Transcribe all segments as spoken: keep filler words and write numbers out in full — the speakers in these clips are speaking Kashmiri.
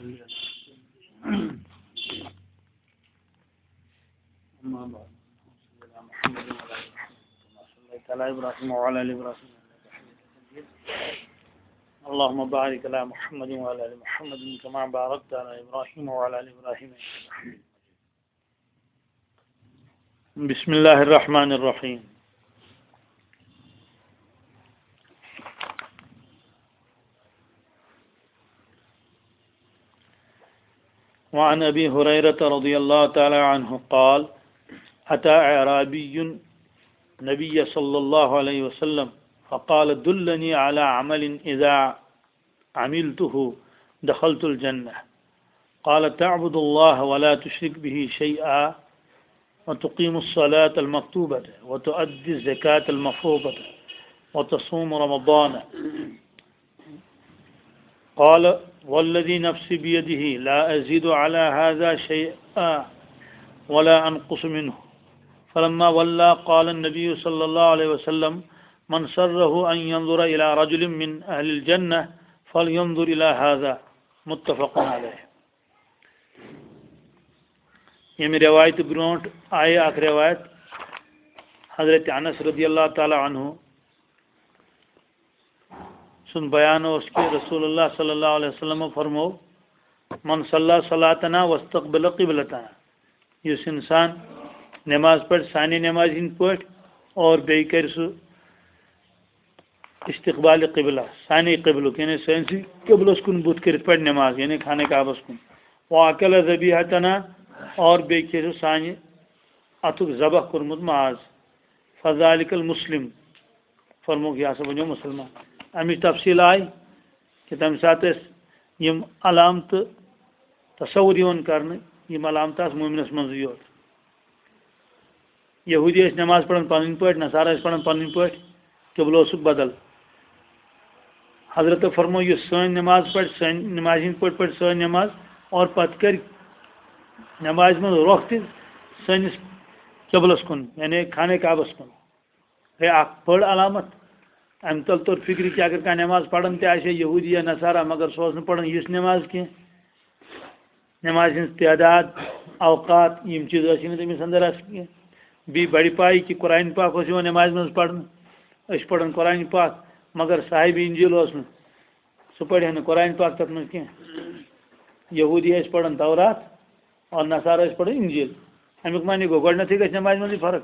أما بعد، صل على محمد وعلى آل محمد كما صليت على إبراهيم وعلى آل إبراهيم إنك حميد مجيد. اللهم بارك على محمد وعلى آل محمد كما باركت على إبراهيم وعلى آل إبراهيم إنك حميد مجيد. بسم الله الرحمن الرحيم. وعن أبي هريرة رضي الله تعالى عنه قال: أتى أعرابي النبي صلى الله عليه وسلم فقال: دلني على عمل إذا عملته دخلت الجنة. قال: تعبد الله ولا تشرك به شيئا، وتقيم الصلاة المكتوبة، وتؤدي الزكاة المفروضة، وتصوم رمضان. قال: والذي نفسي بيده لا أزيد على هذا شيئا ولا أنقص منه. فلما ولى قال النبي صلى الله عليه وسلم: من سره أن ينظر إلى رجل من أهل الجنة فلينظر إلى هذا. متفق عليه. ییٚمہِ رِوایتہِ برونٛٹھ آیہِ اکھ رِوایت حضرت انس رضی اللہ تعالیٰ عنہ سُنٛد بیان اوس کہِ رسول اللہ صلی اللہ علیہ وسلم فرمو: من صلی صلاتنا واستقبل قبلتنا، یُس اِنسان نٮ۪ماز پَرِ سانہِ نٮ۪مازِ ہِنٛدۍ پٲٹھۍ اور بیٚیہِ کَرِ سُہ استقبال قبلہ، سانے قبلُک، یعنی سٲنِسٕے قبلس کُن بُتھ کٔرِتھ پَرِ نٮ۪ماز، یعنی خانہ کعبس کُن۔ واکل ذبیحتنا، اور بیٚیہِ کھیٚیہِ سُہ سانہِ اَتھُک ذبح کوٚرمُت ماز۔ فذالک المسلم، فرمووُکھ، یہِ ہسا بَنیو مُسلمان۔ اَمِچ تفصیٖل آیہِ کہِ تَمہِ ساتہٕ ٲسۍ یِم علامتہٕ تصور یِوان کرنہٕ، یِم علامتہٕ آسہٕ مومنس منٛزٕے یوت۔ یہوٗدی ٲسۍ نٮ۪ماز پران پنٕنۍ پٲٹھۍ، نصارہ ٲسۍ پران پنٕنۍ پٲٹھۍ، قبلہٕ اوسُکھ بدل۔ حضرت فرمو، یُس سٲنۍ نٮ۪ماز پرِ، سٲنۍ نٮ۪مازِ ہِنٛدۍ پٲٹھۍ پرِ سٲنۍ نٮ۪ماز، اور پتہٕ کرِ نٮ۪مازِ منٛز رۄخ تہِ سٲنِس قبلس کُن، یعنی خانہ کعبس کُن۔ گٔے اکھ بٔڑ علامت۔ امہِ تل توٚر فکرِ کہِ اگر کانٛہہ نٮ۪ماز پران تہِ آسہِ ہے یہوٗدی یا نصارہ، مگر سُہ اوس نہٕ پران یِژھ نٮ۪ماز کینٛہہ۔ نمازِ ہٕنٛز تعداد، اوقات، یِم چیٖز ٲسۍ نہٕ تٔمِس اندر آسان کینٛہہ۔ بیٚیہِ بڑِ پایہِ کہِ قرآن پاک اوس یِوان نمازِ منٛز پرنہٕ۔ أسۍ چھِ پران قرآن پاک، مگر صاحب انجیل اوس نہٕ۔ سُہ پرِ ہا نہٕ قرآن پاک تتھ منٛز کینٛہہ۔ یہوٗدی ٲسۍ پران تورات اور نصارہ ٲسۍ پران انجیل۔ امیُک معنی گوٚو، گۄڈٕنیتھٕے گژھِ نمازِ منٛزٕے فرق۔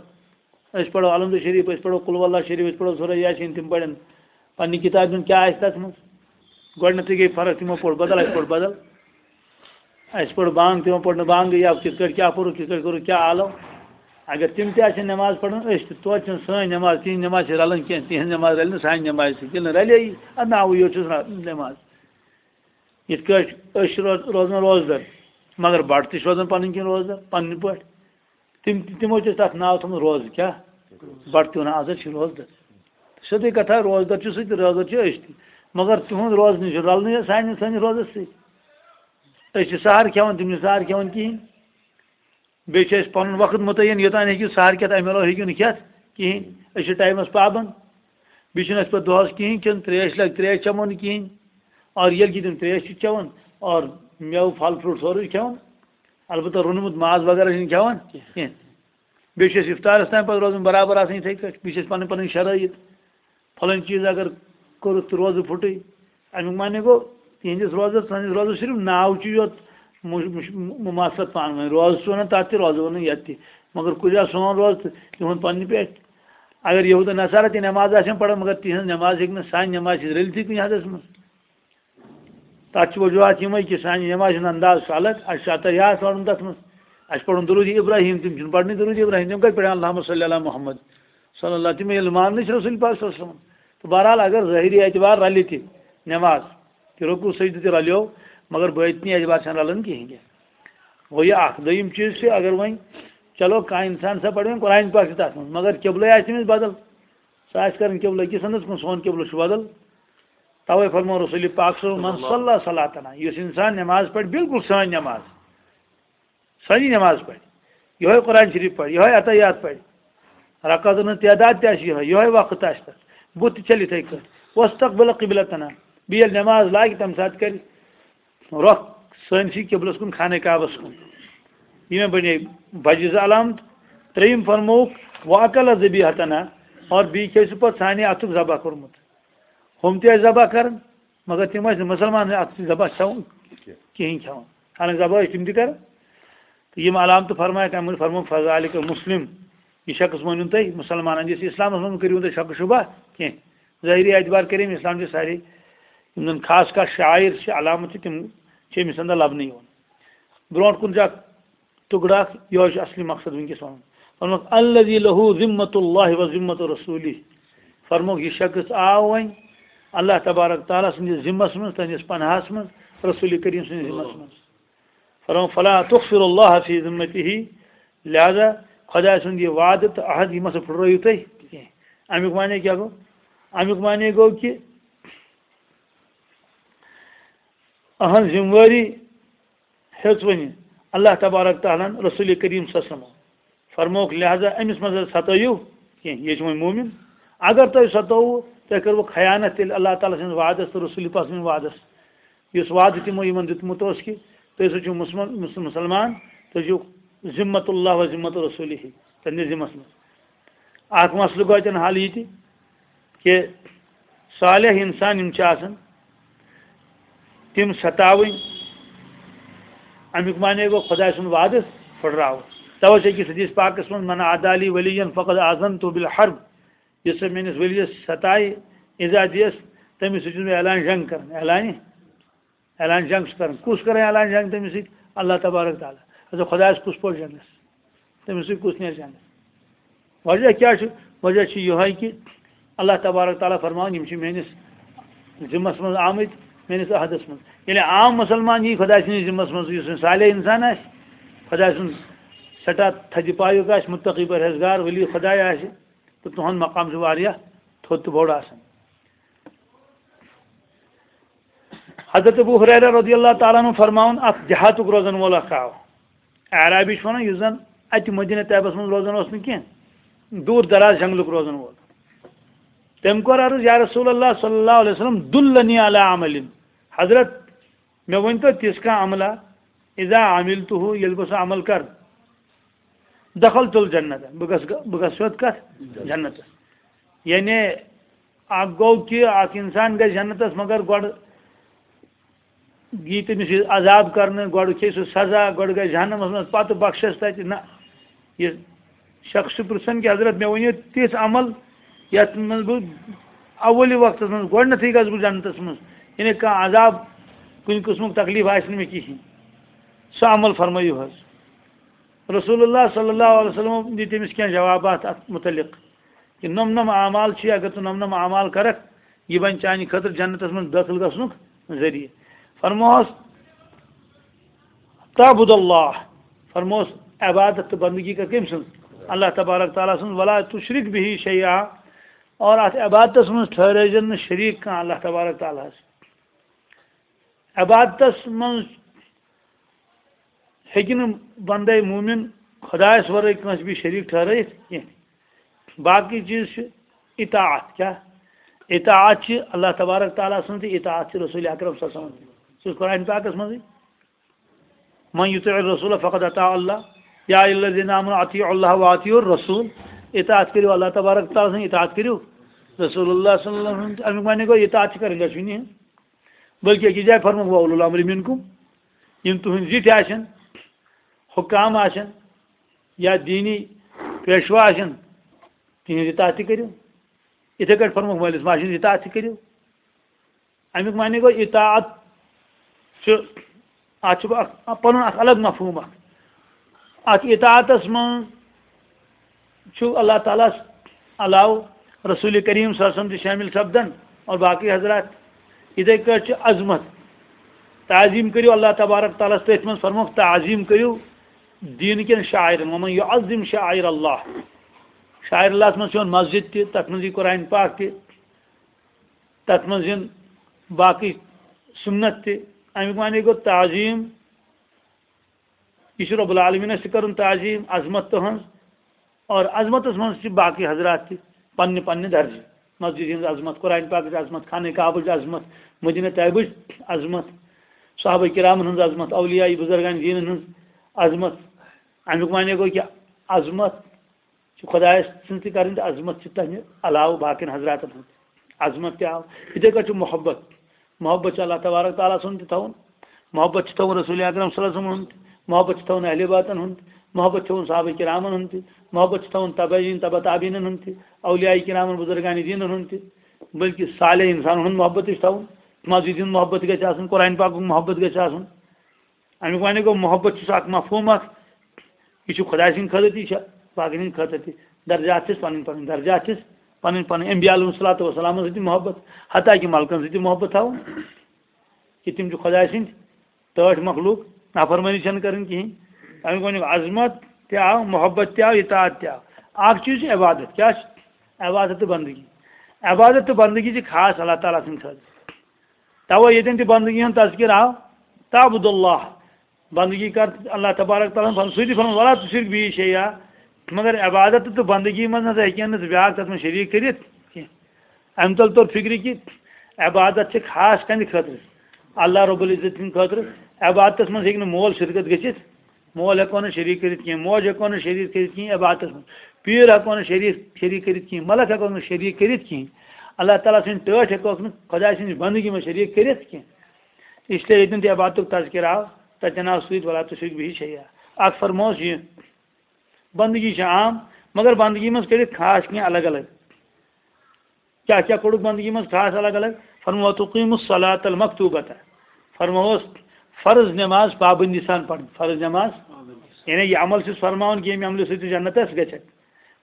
أسۍ پرو الحمد شریف، أسۍ پرو قل ہو اللہ شریف، أسۍ پرو سورہ یاسین، تِم پرن پننہِ کتابہِ منٛز کیٛاہ آسہِ تتھ منٛز۔ گۄڈٕنیتھٕے گٔے فرق، تِمو پوٚر بدل، اَسہِ پوٚر بدل۔ اَسہِ پوٚر بانگ، تِمو پوٚر نہٕ بانگٕے، یا کِتھ کٲٹھۍ کیٛاہ پوٚرُکھ، کِتھ کٲٹھۍ کوٚرُکھ، کیٛاہ آلو۔ اگر تِم تہِ آسن نٮ۪ماز پران، أسۍ تہِ، توتہِ چھِنہٕ سٲنۍ نٮ۪ماز، تِہنٛز نٮ۪ماز چھِ رلان کینٛہہ، تِہنٛز نٮ۪ماز رلہِ نہٕ سانہِ نٮ۪مازِ سۭتۍ، ییٚلہِ نہٕ رلے یی، اَدٕ ناوٕے یوت چھُس را-، نٮ۪ماز۔ یِتھ کٲٹھۍ أسۍ چھِ روز-، روزان روزدر، مگر بَٹہٕ تہِ چھِ روزان پنٕنۍ کِنۍ روزدر، پننہِ پٲٹھۍ۔ تِم، تِمو چھِ تَتھ ناو تھوٚمُت روزٕ۔ کیٛاہ؟ بَٹہٕ تہِ وَنان، آز حظ چھِ روزدر۔ سیوٚدُے کَتھا، روزدر چھُ سُہ تہِ، روزدر چھِ أسۍ تہِ۔ مگر تِہُنٛد روزنٕے چھُ رَلنٕے حظ سانہِ، سٲنِس روزَس سۭتۍ۔ أسۍ چھِ سحر کھٮ۪وان، تِم چھِ سحر کھٮ۪وان کِہیٖنۍ۔ بیٚیہِ چھِ أسۍ پَنُن وقت مُتعین، یوٚتام ہیٚکِو سحر کھٮ۪تھ، اَمہِ علاوٕ ہیٚکِو نہٕ کھٮ۪تھ کِہیٖنۍ۔ أسۍ چھِ ٹایمَس پابنٛد۔ بیٚیہِ چھِنہٕ أسۍ پَتہٕ دۄہَس کِہیٖنۍ کھیوٚن، ترٛیش لَگہِ، ترٛیش چٮ۪مو نہٕ کِہیٖنۍ۔ اور ییٚلہِ کہِ تِم ترٛیش چھِ چٮ۪وان، اور مٮ۪وٕ، پھل فروٗٹ سورُے چھِ کھٮ۪وان، البتہ روٚنمُت ماز وغیرہ چھِنہٕ کھٮ۪وان کینٛہہ۔ بیٚیہِ چھِ أسۍ افطارس تام پتہٕ روزان برابر آسان یِتھَے کٲٹھۍ۔ بیٚیہِ چھِ أسۍ پنٕنۍ پنٕنۍ شرٲیِط، پھلٲنۍ چیٖز اگر کوٚرُتھ تہٕ روزٕ پھُٹٕے، اَمیُک معنی گوٚو تِہنٛدِس روزس، سٲنِس روزس صرف ناو چھُ یوت مُش-، مُش-، مُماثلت پانہٕ ؤنۍ۔ روزٕ چھُ وَنان تَتھ تہِ، روزٕ وَنان یَتھ تہِ، مگر کُجا سون روزٕ تہٕ تِہُنٛد پننہِ پٮ۪ٹھ۔ اگر یہوٗد نصارہ تہِ نٮ۪ماز آسن پران، مگر تِہنٛز نٮ۪ماز ہیٚکہِ نہٕ سانہِ نٮ۪مازِ سۭتۍ رٔلتھٕے کُنہِ حدس منٛز۔ تَتھ چھِ وجوہات یِمَے کہِ سانہِ نٮ۪مازِ ہُنٛد انداز چھُ الگ۔ اَسہِ چھُ اَتَر یاد پَرُن تَتھ منٛز۔ اَسہِ پَرُن درود ابراہیم، تِم چھِنہٕ پَرنٕے درود ابراہیم، تِم کَتہِ پَرن اللہم صلی علی محمد صلی اللہ، تِم ییٚلہِ ماننٕے چھِ رسول پاک صلی اللہ علیہ وسلم۔ تہٕ بہرحال، اگر ظٲہری اعتبار رَلہِ تہِ نٮ۪ماز، تہِ رکوع سجدٕ تہِ رَلیو، مگر باطنی اعتبار چھَنہٕ رَلان کِہیٖنۍ تہِ۔ گوٚو یہِ اَکھ۔ دوٚیِم چیٖز چھُ، اگر وۄنۍ، چلو، کانٛہہ اِنسان سا پَرِ وۄنۍ قرآن پاک تہِ تَتھ منٛز، مگر قبلَے آسہِ تٔمِس بدل، سُہ آسہِ کَران قبلہٕ کِس اَندَس کُن، سون قبلہٕ چھُ بدل۔ توے فرمو رسول پاک صلی اللہ علیہ وسلم، "من صلی صلاتنا"، یُس انسان نماز پڑھِ، بالکل سٲنۍ نماز، سٲنی نماز پڑھِ، یہوے قرآن شریف پڑھِ، یہوے عطیات پڑھِ، رکعتن ہٕنٛز تعداد تہِ آسہِ یہوے، یہوے وقت آسہِ تتھ، بُتھ تہِ چھلہِ یِتھے کٲٹھۍ، واستقبل قبلتنا، بیٚیہِ ییٚلہِ نماز لاگہِ، تمہِ ساتہٕ کرِ رۄخ سٲنِسٕے قبلس کُن، خانہ کعبس کُن۔ یِمے بنے بجہِ زٕ علامت۔ ترٛیٚیِم فرمووُکھ، "وَأَكَلَ ذَبِيحَتَنَا"، اور بیٚیہِ کھیٚیہِ سُہ پتہٕ سانہِ اَتھُک ذبح کوٚرمُت۔ ہُم تہِ ٲسۍ ذبح کران، مگر تِم ٲسۍ نہٕ مُسلمان اَتھ سۭتۍ ذبح کھٮ۪وان کِہیٖنۍ کھٮ۪وان۔ حالانکہِ ذبح ٲسۍ تِم تہِ کران۔ تہٕ یِم علامتہٕ فرمایَکھ، اَمہِ موٗجوٗب فرمووُکھ، "فَذَٰلِكَ مُسْلِم"، یہِ شخص مٲنِو تُہۍ مُسلمان، یُس اِسلامَس منٛز کٔرِو تُہۍ شک و شبہ کینٛہہ۔ ظٲہری اعتبار کٔرِو أمۍ اِسلام چہِ سارے یِم زَن خاص خاص شعائر چھِ، علامت چھِ، تِم چھِ أمِس اندر لبنہٕ یِوان۔ برونٛٹھ کُن چھُ اکھ ٹُکڑٕ اکھ، یِہوٚے چھُ اصلی مقصد وٕنکیٚس وَنُن۔ فرمووُکھ، "الذي له ذمة الله وذمة رسوله"۔ فرمووُکھ، یہِ شخص آو وۄنۍ اللہ تبارک تعالیٰ سٕنٛدِس ذمس منٛز، تٕہٕنٛدِس پناہس منٛز، رسول کریم سٕنٛدِس ذمس منٛز۔ فرمووُکھ، "فلا تخفروا الله في ذمته"، لہذا خۄداے سُنٛد یہِ وعدٕ تہٕ عہد، یہِ مہ سا پھُٹرٲیِو تُہۍ کینٛہہ۔ اَمیُک معنی کیٛاہ گوٚو؟ اَمیُک معنی گوٚو کہِ أہنٛز ذمہٕ وٲری ہیٚژ وۄنۍ اللہ تبارک تعالیٰ ہن رسول کریم صلی اللہ علیہ وسلم۔ فرمووُکھ، لہذا أمِس مہ حظ ستٲیِو کینٛہہ، یہِ چھُ وۄنۍ مومن۔ اگر تۄہہِ ستووُ، تۄہہِ کٔروٕ خیانت تیٚلہِ اللہ تعالیٰ سٕنٛدِس وعدس تہٕ رسول پاک سٕنٛدِس وعدس۔ یُس وعدٕ تِمو یِمن دیُتمُت اوس کہِ تُہۍ ہسا چھِو مُسلمان، مُسلمان، تُہۍ چھِو ذمت اللہ و ذمت رسولہ، تہنٛدِس ذمس منٛز۔ اکھ مسلہٕ گوٚو اتٮ۪ن حل یہِ تہِ کہِ صالح انسان یِم چھِ آسان، تِم ستاوٕنۍ، امیُک معنی گوٚو خۄداے سُنٛد وعدٕ پھٕٹراوُن۔ توے چھِ أکِس حدیث پاکس منٛز، "من عادى لي وليا فقد آذنته بالحرب"، یُس سا میٲنِس ؤلیَس ستایہِ، ایزا دِیَس، تٔمِس سۭتۍ چھُس بہٕ اعلان جنگ کران۔ اعلانِ اعلان جنگ چھُ کران۔ کُس کران اعلان جنگ تٔمِس سۭتۍ؟ اللہ تبارک تعالیٰ۔ اچھا، خۄدایَس کُس پوٚر جنگس؟ تٔمِس سۭتۍ کُس نیرِ جنگس؟ وجہ کیٛاہ چھُ؟ وجہ چھُ یِہوٚے کہِ اللہ تبارک تعالیٰ فرماوان، یِم چھِ میٲنِس ذمس منٛز آمٕتۍ، میٲنِس عہدس منٛز۔ ییٚلہِ عام مُسلمان یی خۄداے سٕنٛدِس ذمس منٛز، یُس وۄنۍ صالح انسان آسہِ، خۄداے سُنٛد سٮ۪ٹھاہ تھدِ پایُک آسہِ، مُتقی پرہیزگار ولی خۄداے آسہِ، تہٕ تُہُنٛد مقام چھُ واریاہ تھوٚد تہٕ بوٚڑ آسان۔ حضرت ابو ہریرہ رضی اللہ تعالیٰ عنہ فرماوان، اکھ دیہاتُک روزن وول اکھ آو، اعرابی چھُ ونان، یُس زن اتہِ مدینہ طیبس منٛز روزان اوس نہٕ کینٛہہ، دوٗر دراز جنگلُک روزن وول۔ تٔمۍ کوٚر عرض، یا رسول اللہ صلی اللہ علیہ وسلم، دلنی علی عمل، حضرت، مےٚ ؤنۍ تو تِژھ کانٛہہ عملہ، اذا عملتہ، ییٚلہِ بہٕ سُہ عمل کرٕ، دخلت الجنت، بہٕ گژھٕ، بہٕ گژھٕ سیوٚد کتھ؟ جنتس۔ یعنی اکھ گوٚو کہِ اکھ انسان گژھِ جنتس، مگر گۄڈٕ یی تٔمِس یہِ عذاب کرنہٕ، گۄڈٕ کھیٚیہِ سُہ سزا، گۄڈٕ گژھِ جہنمس منٛز، پتہٕ بخشس تتہِ۔ نہ، یہِ شخص چھُ پرژھان کہِ حضرت، مےٚ ؤنِو تِژھ عمل یتھ منٛز بہٕ اولِ وقتس منٛز گۄڈنیتھٕے گژھٕ بہٕ جنتس منٛز، یعنی کانٛہہ عذاب، کُنہِ قٕسمُک تکلیف آسہِ نہٕ مےٚ کِہینۍ۔ سُہ عمل فرمٲیِو حظ۔ رسول اللہ صلی اللہ علیہ وسلم دِتۍ تٔمِس کینٛہہ جوابات اتھ متعلق۔ کہِ نۄم نۄم اعمال چھِ، اگر ژٕ نۄم نۄم اعمال کرکھ، یہِ بنہِ چانہِ خٲطرٕ جنتس منٛز دٲخل گژھنُک ذٔریعہٕ۔ فرموہس، تعبد اللہ، فرموہس، عبادت تہٕ بندگی کر کٔمۍ سٕنٛز؟ اللہ تبارک تعالیٰ سٕنٛز۔ ولا تشرک بہ شیئا، اور اتھ عبادتس منٛز ٹھہرٲوزٮ۪ن نہٕ شریٖک کانٛہہ اللہ تبارک تعالیٰ ہس۔ عبادتس منٛز ہیٚکہِ نہٕ بندے مومن خۄدایس ورٲے کٲنٛسہِ بیٚیہِ شریٖک ٹھہرٲیِتھ کینٛہہ۔ باقٕے چیٖز چھِ اطاعت۔ کیٛاہ؟ اطاعت چھِ اللہ تبارک تعالیٰ سٕنٛز تہٕ اطاعت چھِ رسول اکرم صلی اللہ علیہ وسلم۔ سُہ چھُ قرآن پاکس منٛزٕے، "من يطع الرسول فقد اطاع الله، يا أيها الذين آمنوا أطيعوا الله وأطيعوا الرسول"۔ اطاعت کٔرِو اللہ تبارک تعالیٰ سٕنٛز، اطاعت کٔرِو رسول اللہ صلی اللہ علیہ وسلم۔ امیُک معنی گوٚو اطاعت چھِ کَرٕنۍ دۄشوٕنی ہٕنٛز۔ بلکہ أکِس جایہِ فرمووُکھ، "وَأُولُو الْأَمْرِ مِنْكُمْ"، یِم تُہٕنٛدۍ زِٹھۍ آسن، حُکام آسن، یا دیٖنی پیشوا آسن، تِہِنٛز اطاعت تہِ کٔرِو۔ یِتھَے کٲٹھۍ فرمووُکھ، مٲلِس ماجہِ ہِنٛز اطاعت تہِ کٔرِو۔ اَمیُک معنی گوٚو، اطاعت چھُ، اَتھ چھُ اَکھ، پَنُن اَکھ الگ مفہوٗم اَکھ۔ اَتھ اطاعتَس منٛز چھُ اللہ تعالیٰ ہَس علاوٕ رسول کریم صلی اللہ علیہ وسلم تہِ شٲمِل سپدان اور باقٕے حضرات۔ یِتھَے کٲٹھۍ چھِ عظمت، تعظیٖم کٔرِو اللہ تبارک تعالیٰ ہَس۔ تٔتھۍ منٛز فرمووُکھ، تعظیٖم کٔرِو دیٖن کٮ۪ن شاعرن، "ومن یعظم شاعر اللہ"۔ شاعر اللہَس منٛز چھُ یِوان مسجد تہِ، تَتھ منٛز یہِ قرآن پاک تہِ، تَتھ منٛز یِن باقٕے سُنت تہِ۔ اَمیُک معنی گوٚو تعظیٖم، یہِ چھُ رب العالمینس تہِ کرُن تعظیٖم، عظمت تُہنٛز۔ اور عظمتس منٛز چھِ باقٕے حضرات تہِ پننہِ پننہِ درجہٕ۔ مسجد ہٕنٛز عظمت، قرآن پاکٕچ عظمت، خانہ کعبٕچ عظمت، مدینہ طیبٕچ عظمت۔ صحابہ کرامن ہٕنٛز عظمت، اولیاء بزرگان دینن ہٕنٛز عظمت۔ اَمیُک معنی گوٚو کہِ عظمت چھِ خۄدایَس سٕنٛز تہِ کَرٕنۍ تہٕ عظمت چھِ تَمہِ علاوٕ باقین حضراتن ہٕنٛز عظمت تہِ آو۔ یِتھَے کٔنۍ چھُ محبت۔ محبت چھُ اللہ تبارک تعالیٰ سُنٛد تہِ تھاوُن، محبت چھُ تھاوُن رسول اکرم صلی اللہ علیہ وسلم ہُنٛد، محبت چھُ تھاوُن اہل بیتن ہُنٛد، محبت چھُ تھاوُن صحابہ کرامن ہُنٛد تہِ، محبت چھُ تھاوُن تبعین، تبع تابعینن ہُنٛد تہِ، اولیاء کرامن بزرگان دینن ہُنٛد تہِ، بلکہ صالح انسانن ہُنٛد محبت تہِ چھُ تھاوُن۔ مسجد ہُنٛد محبت تہِ گژھِ آسُن، قرآن پاکُک محبت گژھِ آسُن۔ اَمیُک معنی گوٚو، محبت چھُ سُہ اکھ مفہوم اکھ، یہِ چھُ خۄداے سٕنٛدِ خٲطرٕ تہِ، یہِ چھُ باقین ہٕنٛدِ خٲطرٕ تہِ۔ درجات چھِس پنٕنۍ پنٕنۍ، درجات چھِس پنٕنۍ پنٕنۍ۔ انبیاء علیہم الصلوۃ والسلام سۭتۍ تہِ محبت، حتیٰ کہِ ملکن سۭتۍ تہِ محبت تھاوُن، کہِ تِم چھِ خۄداے سٕنٛدۍ ٹٲٹھۍ مخلوق، نافرمٲنی چھَنہٕ کَرٕنۍ کِہیٖنۍ۔ اَمیُک وَنیُک عظمت تہِ آو، محبت تہِ آو، اطاعت تہِ آو۔ اَکھ چیٖز چھُ عبادت۔ کیٛاہ چھُ؟ عبادت تہٕ بندگی۔ عبادت تہٕ بندگی چھِ خاص اللہ تعالیٰ سٕنٛدِ خٲطرٕ۔ تَوَے ییٚتٮ۪ن تہِ بندگی ہُنٛد تذکر آو، تعبد اللہ، بندگی کر اللہ تبارک تعالیٰ ہن۔ سُہ تہِ فرموو، "ولا تشرک بی شیئا"، مگر عبادت تہٕ بندگی منٛز نہ سا ہیٚکہِ نہٕ ژٕ بیٛاکھ تَتھ منٛز شریٖک کٔرِتھ کینٛہہ۔ اَمہِ تَل توٚر فِکرِ کہِ عبادت چھِ خاص کَنہِ خٲطرٕ، اللہ رب العزت سٕنٛدِ خٲطرٕ۔ عبادتَس منٛز ہیٚکہِ نہٕ مول شرکت گٔژھِتھ، مول ہٮ۪کو نہٕ شریٖک کٔرِتھ کینٛہہ، موج ہٮ۪کو نہٕ شریٖک کٔرِتھ کینٛہہ عبادتَس منٛز، پیٖر ہٮ۪کو نہٕ شریٖک، شریٖک کٔرِتھ کینٛہہ، ملک ہٮ۪کو نہٕ شریٖک کٔرِتھ کینٛہہ، اللہ تعالیٰ سٕنٛدۍ ٹٲٹھۍ ہٮ۪کوکھ نہٕ خۄداے سٕنٛزِ بندگی منٛز شریٖک کٔرِتھ کینٛہہ۔ اس لیے ییٚتٮ۪ن تہِ عبادتُک تذکرٕ آو، تَتٮ۪ن آو سۭتۍ "ولا تشرک بی شیئا"۔ اَکھ فرمووُس یہِ، بندگی چھِ عام، مگر بندگی منٛز کٔرِتھ خاص کینٛہہ الگ الگ۔ کیٛاہ کیٛاہ کوٚڑُکھ بندگی منٛز خاص الگ الگ؟ فرموو، "تقیم الصلاۃ المکتوبۃ"، فرمووس فرض نماز پابندی سان پرٕنۍ، فرض نماز، یعنی یہِ عمل چھُس فرماوان کہِ ییٚمہِ عملہِ سۭتۍ ژٕ جنت آسہِ گژھکھ۔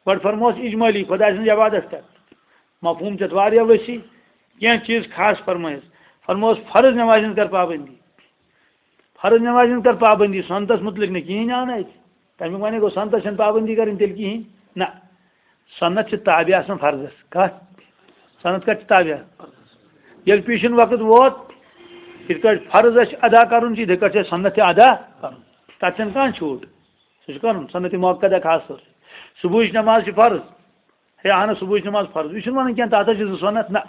گۄڈٕ فرمووس اجمالی، خۄداے سٕنٛز عبادت کر، مفہوم چھِ اَتھ واریاہ وسیع، کینٛہہ چیٖز خاص فرمٲیِس۔ فرمووس فرض نمازِ ہٕنٛز کر پابندی، فرض نمازِ ہٕنٛز کر پابندی، سنتس متعلق نہٕ کِہیٖنۍ آو نہٕ اَتہِ۔ تَمیُک وَنے گوٚو، سنتس چھَنہٕ پابندی کَرٕنۍ تیٚلہِ کِہیٖنۍ۔ نہ، سنت چھِ تابع آسان فرضس۔ کَتھ؟ سنت کَتھ چھِ تابع؟ ییٚلہِ پیٖشِن وقت ووت، یِتھ کٲٹھۍ فرض اَسہِ ادا کَرُن چھُ، یِتھَے کٲٹھۍ چھُ اَسہِ سنت تہِ ادا کَرُن۔ تَتھ چھَنہٕ کانٛہہ چھوٗٹ۔ سُہ چھُ کَرُن، سنت مؤکدہ خاص طور۔ صبحٕچ نماز چھِ فرض۔ ہے، اہن حظ، صبحٕچ نماز فرض۔ یہِ چھُنہٕ وَنان کینٛہہ، تَتھ حظ چھِ زٕ سنت۔ نہ،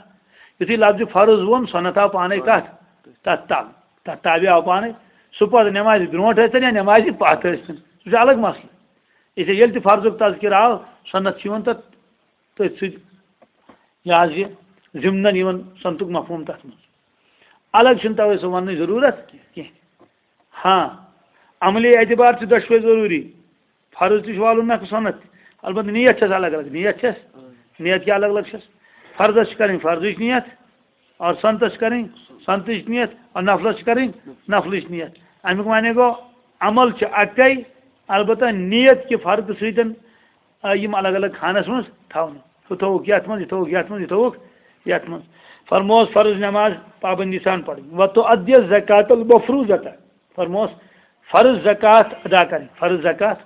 یُتھُے لفظِ فرض ووٚن، سنت آو پانے کَتھ؟ تَتھ تَل۔ تَتھ تابع آو پانے۔ سُہ پَتہٕ نمازِ برونٛٹھ ٲسۍتن یا نمازِ پَتھ ٲسۍتن، سُہ چھُ الگ مسلہٕ۔ اس لیے ییٚلہِ تہِ فرضُک تذکرٕ آو، سنت چھُ یِوان تَتھ تٔتھۍ سۭتۍ، یہِ حظ یہِ ضمنن یِوان سنتُک مفہوم تَتھ منٛز۔ الگ چھُنہٕ تَوَے سُہ وَننٕچ ضروٗرت کینٛہہ۔ ہاں، عملی اعتبار چھِ دۄشوے ضروٗری۔ فرض تہِ چھُ والُن نکھٕ سنت تہِ۔ البتہ نیت چھس الگ الگ۔ نیت چھس، نیت کیٛاہ الگ الگ چھس؟ فرضس چھِ کرٕنۍ فرضٕچ نیت، اور سنتس چھِ کرٕنۍ سنتٕچ نیت، اور نفلس چھِ کرٕنۍ نفلٕچ نیت۔ امیُک معنی گوٚو، عمل چھُ اکے، البتہ نیت کہِ فرقہٕ سۭتۍ آ، یِم الگ الگ خانس منٛز تھاونہٕ۔ ہُہ تھووُکھ یتھ منٛز، یہِ تھووُکھ یتھ منٛز، یہِ تھووُکھ یتھ منٛز۔ فرموس فرض نماز پابندی سان پرٕنۍ۔ وَتُؤَدِّيَ الزَّكَاةَ الْمَفْرُوضَةَ۔ فرموس فرض زکات ادا کرٕنۍ۔ فرض زکات۔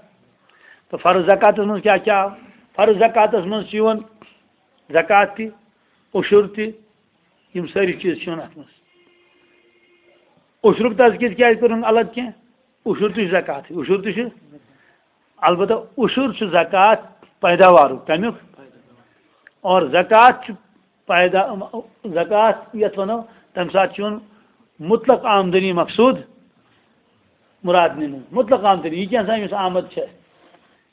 تہٕ فرض زکاتس منٛز کیٛاہ کیٛاہ آو؟ فرض زکاتس منٛز چھُ یِوان زکات تہِ، عشر تہِ، یِم سٲری چیٖز چھِ یِوان اتھ منٛز۔ عشرُک تذکرٕ کیٛازِ کوٚرُن الگ کینٛہہ؟ عشر تہِ چھُ زکاتٕے، عشر تہِ چھُ۔ البتہ عشر چھُ زکات پیداوارُک، کمیُک؟ اور زکات چھُ پیدا، زکات یتھ ونو، تمہِ ساتہٕ چھُ یِوان مطلق آمدنی مقصود مراد نِنہٕ۔ مطلق آمدنی، یہِ کینٛژھا أمِس آمد چھےٚ،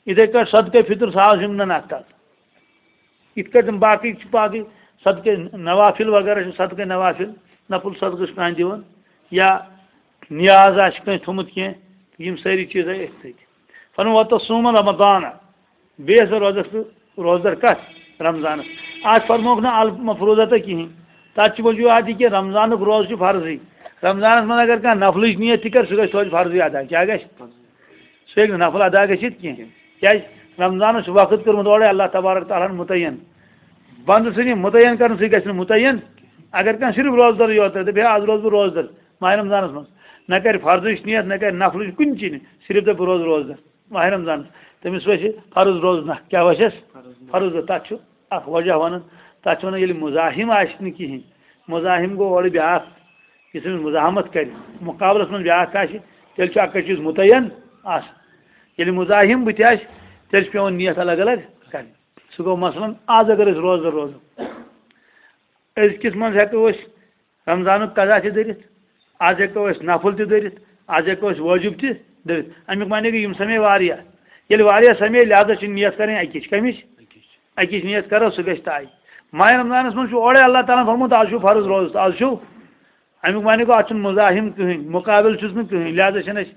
یِتھے کٲٹھۍ صدقے فطر ساز یِم نن اتھ تل۔ یِتھ کٲٹھۍ تِم باقٕے چھِ، باقٕے صدقے نوافل وغیرہ چھِ، صدقے نوافل، نفل صدقہٕ چھُ کانٛہہ دِوان، یا نیاز آسہِ کٲنٛسہِ تھوٚمُت کینٛہہ، یِم سٲری چیٖز آیہِ أتھۍ سۭتۍ۔ فرموو، "وَتَصُومَ رَمَضَانَ"، بیٚیہِ ہسا روزس بہٕ روزدر کتھ؟ رمضانس۔ اتھ فرمووُکھ نہٕ المفروضہ تہٕ کِہینۍ۔ تتھ چھُ وجوہات یہِ کہِ رمضانُک روزٕ چھُ فرضٕے۔ رمضانس منٛز اگر کانٛہہ نفلٕچ نیت تہِ کرِ، سُہ گژھِ توتہِ فرضٕے ادا۔ کیٛاہ گژھِ؟ سُہ ہیٚکہِ نہٕ نفل ادا گٔژھِتھ کینٛہہ۔ کیٛازِ؟ رمضانس چھُ وقت کوٚرمُت اورے اللہ تبارک تعالیٰ ہن متعین۔ بندٕ سٕنٛدِ متعین کرنہٕ سۭتۍ گژھِ نہٕ متعین۔ اگر کانٛہہ صرف روزدرٕے یوت، دپہِ، "ہے، از روزٕ بہٕ روزدر ماہِ رمضانس منٛز"، نہ کرِ فرضٕچ نیت، نہ کرِ نفلٕچ کُنہِ چیٖز، صرف دپہِ، "بہٕ روزٕ روزدر ماہِ رمضانس"، تٔمِس وسہِ فرض روزٕ نہ۔ کیٛاہ وسٮ۪س؟ فرض روزٕ۔ تتھ چھُ اکھ وجہ ونان، تتھ چھِ ونان، ییٚلہِ مزاحم آسہِ نہٕ کِہینۍ، مزاحم گوٚو اورٕ بیاکھ، یُس أمِس مزاحمت کرِ، مقابلس منٛز بیاکھ آسہِ، تیٚلہِ چھُ اکٕے چیٖز متعین آسان۔ ییٚلہِ مزاحم بٕتھِ آسہِ، تیٚلہِ چھُ پٮ۪وان نیت الگ الگ کرٕنۍ۔ سُہ گوٚو مثلاً، از اگر أسۍ روزدر روزو، أزکِس منٛز ہٮ۪کو أسۍ رمضانُک قضا تہِ دٔرِتھ، از ہٮ۪کو أسۍ نفل تہِ دٔرِتھ، از ہٮ۪کو أسۍ وٲجِب تہِ دٔرِتھ۔ اَمیُک معنی گوٚو، یِم سَمے واریاہ۔ ییٚلہِ واریاہ سَمے، لہذا چھِ نیت کَرٕنۍ اَکِچ۔ کَمِچ؟ اَکِچ نیت کَرو، سُہ گژھِ طے۔ ماہِ رمضانَس منٛز چھُ اورَے اللہ تعالیٰ ہَن فرموومُت، از چھُ فرض روزٕ، از چھُ۔ اَمیُک معنی گوٚو، اَتھ چھُنہٕ مزاحم کٕہٕنۍ، مُقابِل چھُس نہٕ کٕہٕنۍ، لہذا چھَنہٕ اَسہِ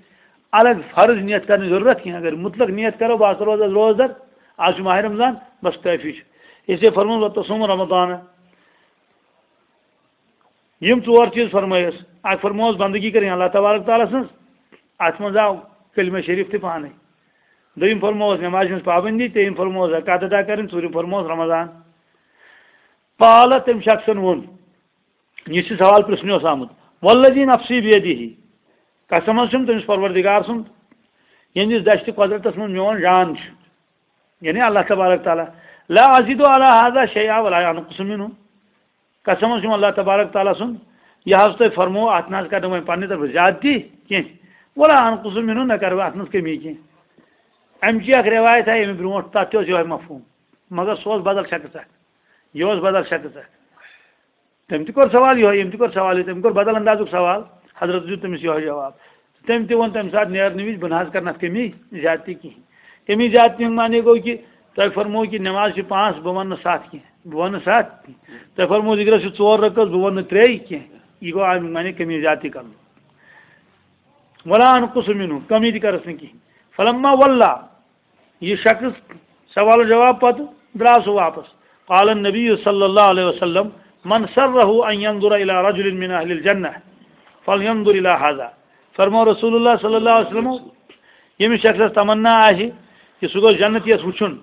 الگ فرض نیت کَرنٕچ ضروٗرت کینٛہہ۔ اگر مطلق نیت کَرو، بہٕ ہسا روزٕ از روزدر، از چھُ ماہِ رمضان، بس کٲفی چھُ۔ اس لیے فرمووُن، "وتصوم رمضان"۔ یِم ژور چیٖز فرمٲیِس۔ اکھ فرمٲوٕس بندگی کَرٕنۍ اللہ تبارک تعالیٰ سٕنٛز، اَتھ منٛز آو کلمہ شریف تہِ پانَے۔ دوٚیِم فرمٲوٕس نمازِ ہٕنٛز پابندی، ترٛیٚیِم فرمٲوٕس زکوٰۃ ادا کَرٕنۍ، ژوٗرِم فرمٲوٕس رمضان۔ قال، تٔمۍ شخصن ووٚن، یُس یہِ سوال پرٛژھنہِ اوس آمُت، "والذی نفسی بیدہ"، قسم حظ چھُم تٔمِس پروردگار سُنٛد، ییٚمِس دشتِ قۄدرتس منٛز میون جان چھُ، یعنی اللہ تبارک تعالیٰ، "لا ازید علی ہذا شیئا ولا انقص منہ"۔ قسم حظ چھُم اللہ تبارک تعالیٰ سُنٛد، یہِ حظ تۄہہِ فرموو، اَتھ نہ حظ کَرٕ نہٕ وۄنۍ پنٛنہِ طرفہٕ زیادتی کینٛہہ، ولا انقص منہ، نہ کَرٕ بہٕ اَتھ منٛز کٔمی کینٛہہ۔ اَمہِ چی اکھ رِوایت آیہِ اَمہِ برونٛٹھ، تَتھ تہِ اوس یِہوٚے مفہوٗم، مگر سُہ اوس بدل شخص اکھ، یہِ اوس بدل شخص اکھ۔ تٔمۍ تہِ کوٚر سوال یِہوٚے، ییٚمۍ تہِ کوٚر سوال یِہوٚے، تٔمۍ کوٚر بدل اندازُک سوال، حضرت دیُت تٔمِس یِہوٚے جواب۔ تٔمۍ تہِ ووٚن تَمہِ ساتہٕ نیرنہٕ وِزِ، "بہٕ نہ حظ کَرٕ نہٕ اَتھ کٔمی زیادتی کِہیٖنۍ۔" کٔمی زیادتی ہُنٛد معنی گوٚو کہِ تۄہہِ فرموو کہِ نٮ۪ماز چھِ پانٛژھ، بہٕ وَنہٕ نہٕ ستھ کینٛہہ، بہٕ وَنہٕ نہٕ ستھ کینٛہہ۔ تۄہہِ فرموو ذِکرَس چھِ ژور رکعت، بہٕ وَنہٕ نہٕ ترٛے کینٛہہ۔ یہِ گوٚو اَمیُک معنی کٔمی زیادتی کَرُن۔ ولا انقص منہ، کمی تہِ کَرَس نہٕ کِہیٖنۍ۔ فلما ولا، یہِ شخص سوال و جواب پتہٕ درٛاو سُہ واپس۔ قال النبی صلی اللہ علیہ وسلم، "من سرہ ان ینظر الی رجل من اہل الجنہ فلینظر الی ہذا"۔ فرمو رسول اللہ صلی اللہ علیہ وسلم، ییٚمِس شخصس تمنا آسہِ کہِ سُہ گوٚژھ جنت یَس وٕچھُن،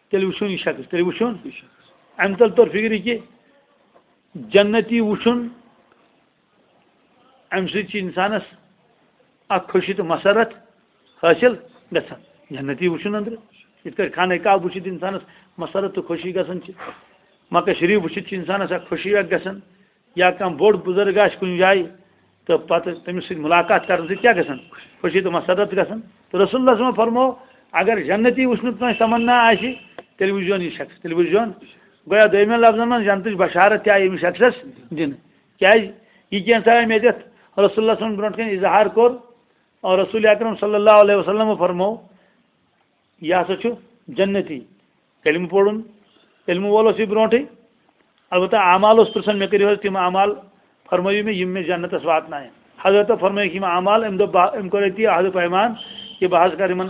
تیٚلہِ وٕچھُن یہِ شخص، تیٚلہِ وٕچھُن۔ اَمہِ تل توٚر فِکرِ کہِ جنتی وٕچھُن، اَمہِ سۭتۍ چھِ اِنسانَس اَکھ خوشی تہٕ مسرت حٲصِل گژھان۔ جنتی وٕچھُن أنٛدرٕ، یِتھ کٲٹھۍ خانہ کعبہ وٕچھِتھ اِنسانَس مسرت تہٕ خوشی گژھان چھِ، مکہ شریٖف وٕچھِتھ چھِ اِنسانَس اَکھ خوشی اَکھ گژھان، یا کانٛہہ بوٚڑ بُزرگ آسہِ کُنہِ جایہِ تہٕ پَتہٕ تٔمِس سۭتۍ مُلاقات کَرنہٕ سۭتۍ کیٛاہ گژھان؟ خوشی تہٕ مسرت گژھان۔ تہٕ رسول اللہ صلی اللہ علیہ وسلم فرموو، اگر جنتی وٕچھنُک کٲنٛسہِ تمنا آسہِ، تیٚلہِ وٕچھزیون یہِ شخص، تیٚلہِ وٕچھزیون۔ گویا دوٚیمٮ۪ن لفظن منٛز جنتٕچ بشارت تہِ آیہِ أمِس شخصس دِنہٕ۔ کیٛازِ؟ یہِ کینٛژھا آیہِ مےٚ دِتھ، رسول اللہ صلی اللہ علیہ وسلم برونٛٹھ کَنہِ اظہار کوٚر، اور رسول اکرم صلی اللہ علیہ وسلم فرموو، یہِ ہسا چھُ جنتی۔ کلمہٕ پوٚرُن، کلمہٕ وول اوس یہِ برونٛٹھٕے۔ البتہ اعمال اوس پرٛژھان، مےٚ کٔرِو حظ تِم اعمال، فرمٲیِو مےٚ، یِم مےٚ جنتس واتناون۔ حضرت فرمٲیِکھ یِم اعمال، أمۍ دوٚپ، بہٕ، أمۍ کوٚر أتی عہد و پیمان کہِ بہٕ حظ کَرٕ یِمن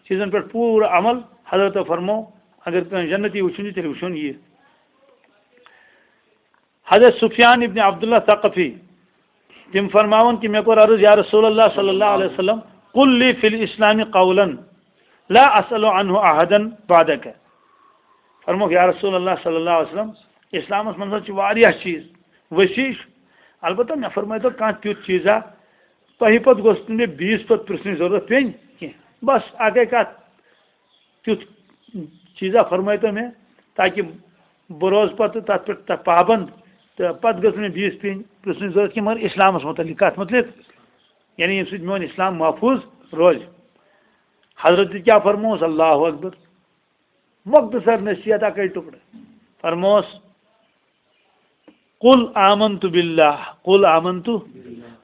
چیٖزن پٮ۪ٹھ پوٗرٕ عمل۔ حضرت فرموو، اگر کٲنٛسہِ جنتی وٕچھُن چھُ، تیٚلہِ وٕچھُن یہِ۔ حضرت سفیان ابن عبداللہ ثقفی، تِم فرماوان کہِ مےٚ کوٚر عرض، یا رسول اللہ صلی اللہ علیہ وسلم، قل لی فی الاسلام قولا لا اسأل عنہ احدا بعدک۔ فرموکھ، یا رسول اللہ صلی اللہ علیہ وسلم، اسلامس منٛز حظ چھِ واریاہ چیٖز وسیع چھُ، البتہ مےٚ فرمٲیتو کانٛہہ تیُتھ چیٖزا، تۄہہِ پتہٕ گوٚژھ نہٕ مےٚ بیٚیِس پتہٕ پرٛژھنٕچ ضروٗرت پیٚنۍ کینٛہہ۔ بس اکے کتھ، تیُتھ چیٖزا فرمٲیتو مےٚ، تاکہِ بہٕ روزٕ پتہٕ تتھ پٮ۪ٹھ تتھ پابند، تہٕ پتہٕ گٔژھ نہٕ مےٚ بیٚیِس پیٚنۍ پرٛژھنٕچ ضروٗرت کینٛہہ، مگر اسلامس متعلق، کتھ متعلق؟ یعنی ییٚمہِ سۭتۍ میون اسلام محفوظ روزِ۔ حضرت کیٛاہ فرمووُس؟ اللہ اکبر۔ مختصر نصیحت اکے ٹکڑٕ۔ فرمووُس، "قل آمنت باللہ، قل آمنت۔"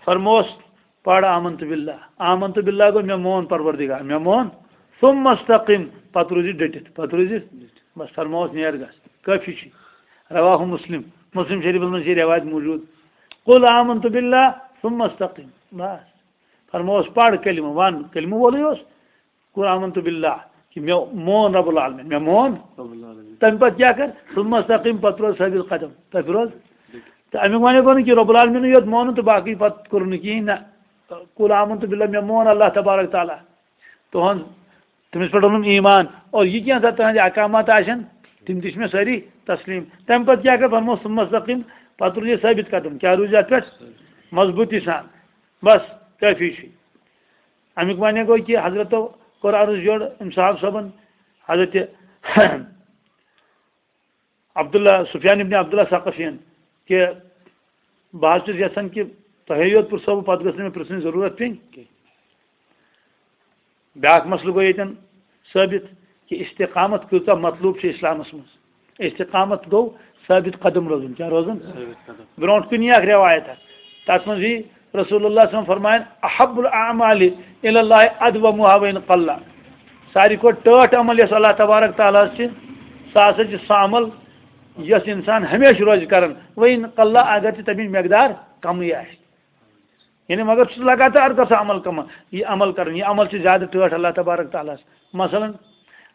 فرمووُس، "پَر آمنت باللہ۔" آمنت باللہ گوٚو، مےٚ مون پروردگار، مےٚ مون۔ ثم استقم، پتہٕ روٗزِ ڈٔٹِتھ، پتہٕ روٗزِ۔ بس فرمووُس، "نیر گژھ، کٲفی چھُ۔" رواہ مسلم، مسلم شریفس منٛز چھِ یہِ رٮ۪وایت موٗجوٗد۔ "قل آمنت باللہ ثم استقم۔" بس۔ فرمووُس، "پَر کلمہٕ، وَن۔" کلمہٕ وولٕے اوس۔ "قل آمنت باللہ"، کہِ مےٚ مون رب العالمین، مےٚ مون۔ رب العالمین۔ تَمہِ پتہٕ کیٛاہ کر؟ "ثم استقم"، پتہٕ روز ثابت قدم، تَتہِ روز۔ تہٕ اَمیُک وَنے گوٚو نہٕ کہِ رب العالمینٕے یوت مونُن تہٕ باقٕے پتہٕ کوٚرُن نہٕ کِہیٖنۍ، نہ۔ "قل آمنت باللہ"، مےٚ مون اللہ تبارک تعالیٰ۔ تُہنٛد، تٔمِس پٮ۪ٹھ اوٚنُم ایمان۔ اور یہِ کینٛژھا تُہنٛدِ احکامات آسن، تِم تہِ چھِ مےٚ سٲری تسلیٖم۔ تَمہِ پتہٕ کیٛاہ کر؟ فرمووُس، "ثم استقم"، پتہٕ روٗزِ ثٲبت قدم۔ کیٛاہ روٗزِ اَتھ پٮ۪ٹھ؟ مضبوٗطی سان۔ بس، کٲفی چھُ۔ اَمیُک معنی گوٚو کہِ حضرتو کوٚر عرض یورٕ أمۍ صاحب صٲبن، حضرت عبداللہ، سفیان ابن عبداللہ ثقفین، کہِ بہٕ حظ چھُس یژھان کہِ تۄہے یوت پرٛژھو بہٕ، پتہٕ گٔژھ نہٕ مےٚ پرٛژھنٕچ ضروٗرت پیٚنۍ کینٛہہ۔ بیٛاکھ مسلہٕ گوٚو ییٚتٮ۪ن ثٲبت کہِ استقامت کۭژاہ مطلوب چھِ اسلامس منٛز۔ استقامت گوٚو ثٲبت قدم روزُن۔ کیٛاہ روزُن؟ ثٲبت قدم۔ برونٛٹھ کُن یی اکھ رٮ۪وایت اکھ، تتھ منٛز یی رسول اللہ صلی اللہ علیہ وسلم فرماین، "احب الاعمال الی اللہ ادومها وان قل۔" ساروی کھۄتہٕ ٹٲٹھ عمل یۄس اللہ تبارک تعالیٰ ہس چھِ، سُہ ہسا چھِ سُہ عمل یۄس انسان ہمیشہِ روزِ کران، وان قل، اگر تہِ تمِچ مقدار کمٕے آسہِ۔ یعنی مگر چھُس لگاتار گژھان عمل کم-، یہِ عمل کرُن، یہِ عمل چھُ زیادٕ ٹٲٹھ اللہ تبارک تعالیٰ ہس۔ مثلاً،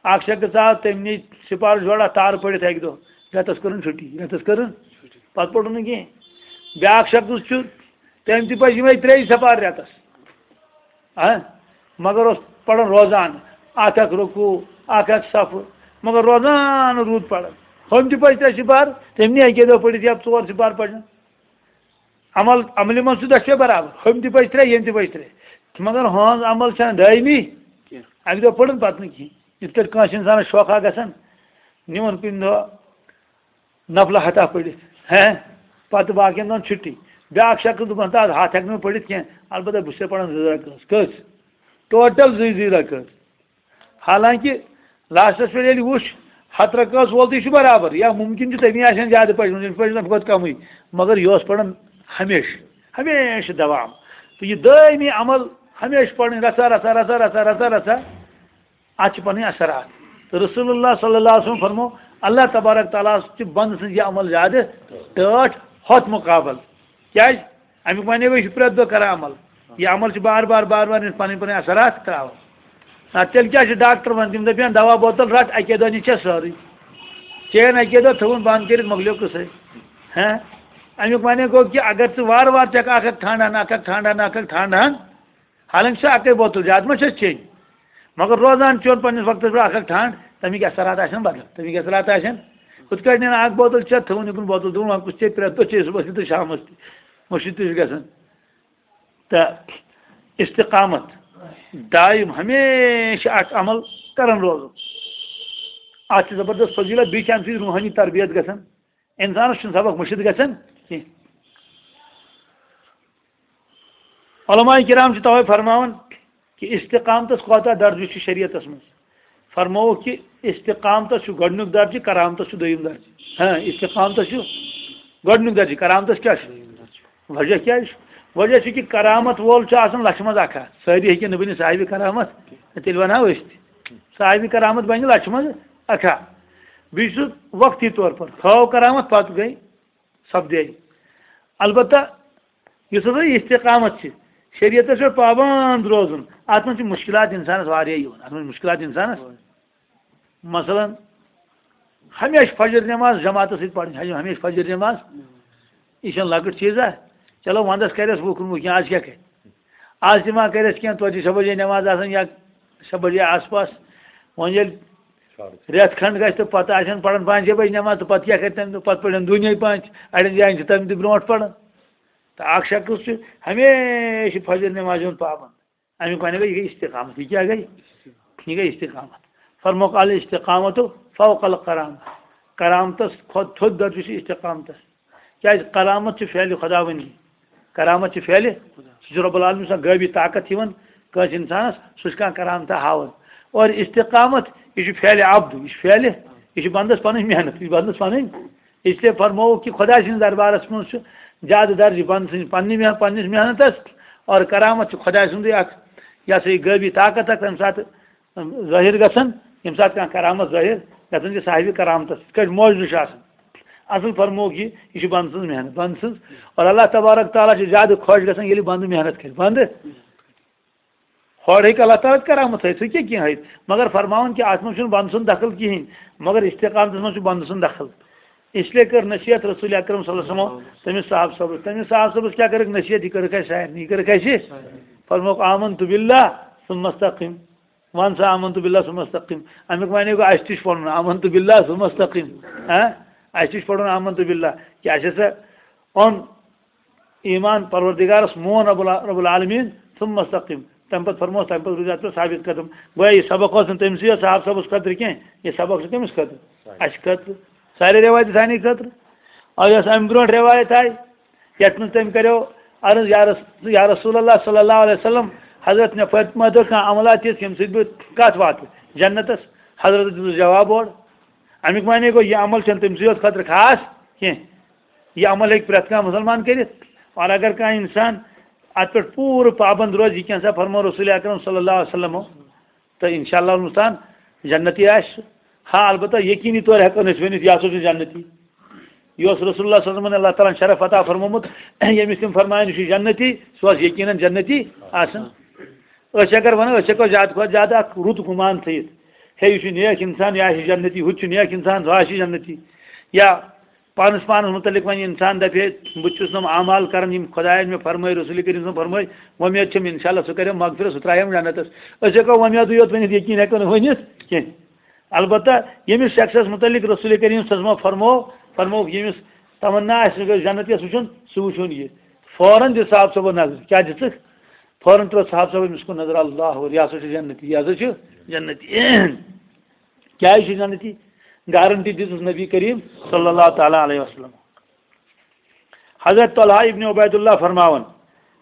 اکھ شخص آو، تٔمۍ نی سپارٕ جوڑا تارٕ پٔرِتھ اکہِ دۄہ، رٮ۪تس کٔرٕن چھُٹی، رٮ۪تس کٔرٕن، پتہٕ پوٚرُن نہٕ کینٛہہ۔ بیٛاکھ شخص چھُ، تٔمۍ تہِ پٔرۍ یِمے ترٛیٚیہِ سپارٕ رٮ۪تس۔ ہاں، مگر اوس پران روزان، اکھ اکھ رکوع، اکھ اکھ صفہٕ، مگر روزان روٗد پران۔ ہُم تہِ پٔرۍ ترٛےٚ سپارٕ، تٔمۍ نی اکے دۄہ پٔرِتھ یا ژور سپارٕ پرن۔ عمل، عملہِ منٛز چھُ دۄشوے برابر، ہُم تہِ پٔرۍ ترٛےٚ، یِم تہِ پٔرۍ ترٛےٚ۔ مگر ہٕنٛز عمل چھنہٕ دٲیمی۔ کینٛہہ۔ اکہِ دۄہ پٔرٕن پتہٕ نہٕ کِہینۍ۔ یِتھ کٲٹھۍ کٲنٛسہِ انسانس شوقا گژھان، نِوان کُنہِ دۄہ نفلہ ہتا پٔرِتھ، ہیں، پتہٕ باقین دۄہن چھُٹی۔ بیٛاکھ شخص دوٚپُن، "تہٕ از ہتھ ہٮ۪کہٕ نہٕ بہٕ پٔرِتھ کینٛہہ، البتہ بہٕ چھُسے پران زٕ رکٲژ۔" کٔژ؟ ٹوٹل زٕے زٕے رکٲژ۔ حالانکہ لاسٹس پٮ۪ٹھ ییٚلہِ وُچھ، ہتھ رکٲژ وول تہِ چھُ برابر، یا ممکن چھُ تٔمی آسن زیادٕ پٔرمٕژ، أمِس پٔرۍ نفر کھۄتہٕ کمٕے، مگر یہِ اوس پران ہمیشہِ، ہمیشہِ دوام۔ تہٕ یہِ دٲیمی عمل، ہمیشہِ پرٕنۍ، رژھا رژھا، رژھا رژھا، رژھا رژھا، اتھ چھِ پنٕنۍ اثرات۔ تہٕ رسول اللہ صلی اللہ علیہ وسلم فرمو، اللہ تبارک تعالیٰ ہس چھِ بندٕ سٕنٛز یہِ عمل زیادٕ ٹٲٹھ ہۄتھ مقابل۔ کیازِ؟ امیُک معنی گوٚو، یہِ چھُ پرٛٮ۪تھ دۄہ کران عمل۔ یہِ عمل چھُ بار بار، بار بار یِم پنٕنۍ پنٕنۍ اثرات تراوان۔ نتہٕ تیٚلہِ کیٛاہ چھُ ڈاکٹر ونان؟ تِم دپان، "دوا بوتل رٹ، اکے دۄہ نِش چھےٚ سٲرٕے۔ چین اکے دۄہ تھٲوٕن بنٛد کٔرِتھ، مۄکلیو قصے۔" ہاں؟ امیُک معنی گوٚو کہِ اگر ژٕ وارٕ وارٕ ژٕ ہٮ۪کھ اکھ اکھ ٹھانڈان، اکھ اکھ ٹھانڈان، اکھ اکھ ٹھانڈان، حالانکہ چھِ اکٕے بوتل، زیادٕ ما چھس چیٚنۍ؟ مگر روزان چیوٚن پننِس وقتس پٮ۪ٹھ اکھ اکھ ٹھانڈ، تمیِکۍ اثرات آسن بدل، تمیِکۍ اثرات آسن۔ ہُتھ کٲٹھۍ نِن اکھ بوتل چٮ۪تھ، تھٲوٕن یِکُن بوتل، دوٚپُن، "وۄنۍ کُس چیٚیہِ پرٛٮ۪تھ دۄہ، چیٚیہِ صُبحس تہِ تہٕ شامس تہِ، مُشِتھ تہِ چھُ گژھان۔" تہٕ استقامت، دایم ہمیشہِ اکھ عمل کران روزُن۔ اتھ چھِ زبردست فضیلت، بیٚیہِ چھِ امہِ سۭتۍ روحٲنی تربیت گژھان۔ انسانس چھُنہٕ سبق مٔشِتھ گژھان کینٛہہ۔ علماء کرام چھِ توے فرماوان کہِ استقامتس کوتاہ درجہٕ چھُ شریعتس منٛز۔ فرمووُکھ کہِ استقامتس چھُ گۄڈٕنیُک درجہٕ، کرامتس چھُ دوٚیِم درجہٕ۔ ہاں، استقامتس چھُ گۄڈٕنیُک درجہٕ، کرامتس کیٛاہ چھُ؟ وجہ کیٛاہ چھُ؟ وجہ چھُ کہِ کرامت وول چھُ آسان لچھِ منٛز اکھ ہا۔ سٲری ہیٚکن نہٕ بٔنِتھ صاحبِ کرامت، تیٚلہِ ونہو أسۍ تہِ۔ صاحبِ کرامت بنہِ لچھِ منٛز اکھ ہا۔ بیٚیہِ چھُ وقتی طور پر ہٲو کرامت، پتہٕ گٔے سپدے۔ البتہ یُس ہسا یہِ استقامت چھِ، شریعتس پٮ۪ٹھ پابند روزُن، اتھ منٛز چھِ مُشکلات انسانس واریاہ یِوان، اتھ منٛز چھِ مُشکلات انسانس۔ مثلاً، ہمیشہِ فجر نٮ۪ماز جماعتس سۭتۍ پرٕنۍ، ہمیشہِ فجر نٮ۪ماز، یہِ چھَنہٕ لۄکٕٹ چیٖزا۔ چلو، ونٛدس کرٮ۪س وُہ کُنوُہ کینٛہہ، آز کیٛاہ کرِ؟ آز تہِ ما کرٮ۪س کینٛہہ، توتہِ چھِ شےٚ بجے نٮ۪ماز آسان یا شےٚ بجے آس پاس۔ وۄنۍ ییٚلہِ رٮ۪تھ کھنٛڈ گژھِ تہٕ پتہٕ آسن پران پانٛژھِ بجہِ نٮ۪ماز، تہٕ پتہٕ کیٛاہ کرِ تَمہِ دۄہ؟ پتہٕ پرن دُنیا پانٛژھ، اَڑٮ۪ن جاین چھِ تَمہِ تہِ برونٛٹھ پران۔ تہٕ اکھ شخص چھُ ہمیشہِ فجر نٮ۪مازِ ہُنٛد پابند۔ اَمیُک وَنہِ گٔے، یہِ گٔے استقامت۔ یہِ کیٛاہ گٔے؟ یہِ گٔے استقامت۔ فرموکھ، "الاستقامت فوق الکرامہ۔" کرامتس کھۄتہٕ تھوٚد درجہٕ چھُ استقامتس۔ کیٛازِ؟ کرامت چھِ فعلِ خداوندی۔ کرامت چھِ فعلِ، سُہ چھُ رب العالمین سٕنٛز غٲبی طاقت یِوان کٲنٛسہِ اِنسانس، سُہ چھُ کانٛہہ کرامتہ ہاوان۔ اور استقامت، یہِ چھُ فعلِ عبد، یہِ چھُ فعلِ، یہِ چھُ بندس پنٕنۍ محنت، یہِ چھُ بندس پنٕنۍ۔ اس لیے فرمووُکھ کہِ خۄداے سٕنٛدِس دربارس منٛز چھُ زیادٕ درجہٕ بنٛد سٕنٛز پننہِ مح-، پننِس محنتس، اور کرامت چھِ خۄداے سُنٛدٕے اکھ، یہِ ہسا یہِ غٲبی طاقت اکھ، تَمہِ ساتہٕ ظٲہِر گژھان، ییٚمہِ ساتہٕ کانٛہہ کرامت ظٲہِر گژھان چھِ صاحبِ کرامتس، یِتھ کٲٹھۍ معجزٕ چھُ آسان۔ اصل فرمووُکھ یہِ، یہِ چھِ بنٛد سٕنٛز محنت، بنٛد سٕنٛز۔ اور اللہ تبارک تعالیٰ چھُ زیادٕ خۄش گژھان، ییٚلہِ بنٛدٕ محنت کرِ، بنٛدٕ۔ ہورٕ ہیٚکہِ اللہ تعالیٰ کرامت ہٲوِتھ، سُہ کیٛاہ کینٛہہ ہٲوِتھ، مگر فرماوان کہِ اَتھ منٛز چھُنہٕ بنٛدٕ سُنٛد دخل کِہیٖنۍ، مگر استقامتس منٛز چھُ بنٛدٕ سُنٛد دخل۔ اس لیے کٔر نصیحت رسول اکرم صلی اللہ علیہ وسلم تٔمِس صاحب صٲبس۔ تٔمِس صاحب صٲبس کیٛاہ کٔرٕکھ نصیحت؟ یہِ کٔرٕکھ اَسہِ سارنٕے، یہِ کٔرٕکھ اَسہِ۔ فرمووُکھ، "آمنت باللہ ثم استقم۔" وَن سا، "آمنت باللہ ثم استقم۔" اَمیُک معنی گوٚو، اَسہِ تہِ چھُ پَرُن "آمنت باللہ ثم استقم"۔ ہاں؟ اَسہِ تہِ چھُ پَرُن "آمنت باللہ"۔ کیٛاہ چھِ سا اوٚن ایمان پروردگارس، مون رب الع-، رب العالمین، ثم استقم۔ تمہِ پتہٕ فرموس، تمہِ پتہٕ روٗزۍ اتھ پٮ۪ٹھ ثابت قدم۔ گویا یہِ سبق اوس نہٕ تٔمۍ سٕے یوت صاحب صٲبس خٲطرٕ کینٛہہ، یہِ سبق چھُ کٔمِس خٲطرٕ؟ اَسہِ خٲطرٕ۔ سارے روایتہٕ سانہِ خٲطرٕ۔ اور یۄس امہِ برونٛٹھ روایت آیہِ، یتھ منٛز تٔمۍ کریو عرض، یا رس-، یا رسول اللہ صلی اللہ علیہ وسلم، حضرت مےٚ فاطمہ دۄہ کانٛہہ عملہ تِژھ، ییٚمہِ سۭتۍ بہٕ کتھ واتہٕ جنتس؟ حضرت دیُتُس جواب اورٕ۔ امیُک معنی گوٚو، یہِ عمل چھُنہٕ تٔمۍ سٕے یوت خٲطرٕ خاص کینٛہہ۔ یہِ عمل ہیٚکہِ پرٛٮ۪تھ کانٛہہ مُسلمان کٔرِتھ۔ اور اگر کانٛہہ اِنسان اتھ پٮ۪ٹھ پوٗرٕ پابند روزِ، یہِ کینٛہہ سا فرمو رسول اکرم صلی اللہ علیہ وسلم، تہٕ انشاءاللہ المستعان جنتی آسہِ سُہ۔ ہاں، البتہ یقینی طور ہٮ۪کو نہٕ أسۍ ؤنِتھ، یہِ ہسا چھُ جنتی۔ یہِ اوس رسول اللہ صلی اللہ علیہ وسلمن اللہ تعالیٰ ہن شرف عطا فرمومُت، ییٚمِس تِم فرمایَن، یہِ چھُ جنتی، سُہ اوس یقیناً جنتی آسان۔ أسۍ اگر ونو، أسۍ ہٮ۪کو زیادٕ کھۄتہٕ زیادٕ اکھ رُت گُمان تھٲیِتھ، ہے، یہِ چھُ نیک انسان، یہِ آسہِ جنتی، ہُہ تہِ چھُ نیک انسان، سُہ آسہِ جنتی۔ یا پانس پانس متعلق وۄنۍ انسان دپہِ ہے، بہٕ تہِ چھُس نۄم اعمال کران، یِم خۄداین مےٚ فرمٲے، رسول کریم صٲبن فرمٲے، وۄمید چھم انشاءاللہ سُہ کرِ مغفرت، سُہ ترایہِ ہم جنتس۔ أسۍ ہٮ۪کو وۄمیدٕے یوت ؤنِتھ، یقین ہٮ۪کو نہٕ ؤنِتھ کینٛہہ۔ البتہ ییٚمِس شخصس متعلق رسول کریم صٲبن فرمو، فرمووُکھ، ییٚمِس تمنا آسہِ جنت یس وٕچھُن، سُہ وٕچھُن یہِ۔ فوراً دِ صاحب صٲبس نظر، کیٛاہ دِژٕکھ؟ فوراً ترٲو صاحب صٲبن أمِس کُن نظر، اللہ اکبر، یہِ ہسا چھُ جنتی، یہِ ہسا چھُ جنتی۔ کیٛازِ چھُ جنتی؟ گارنٹی دِژٕس نبی کریم صلی اللہ تعالیٰ علیہ وسلم۔ حضرت طلحہ ابن عبید اللہ فرماوان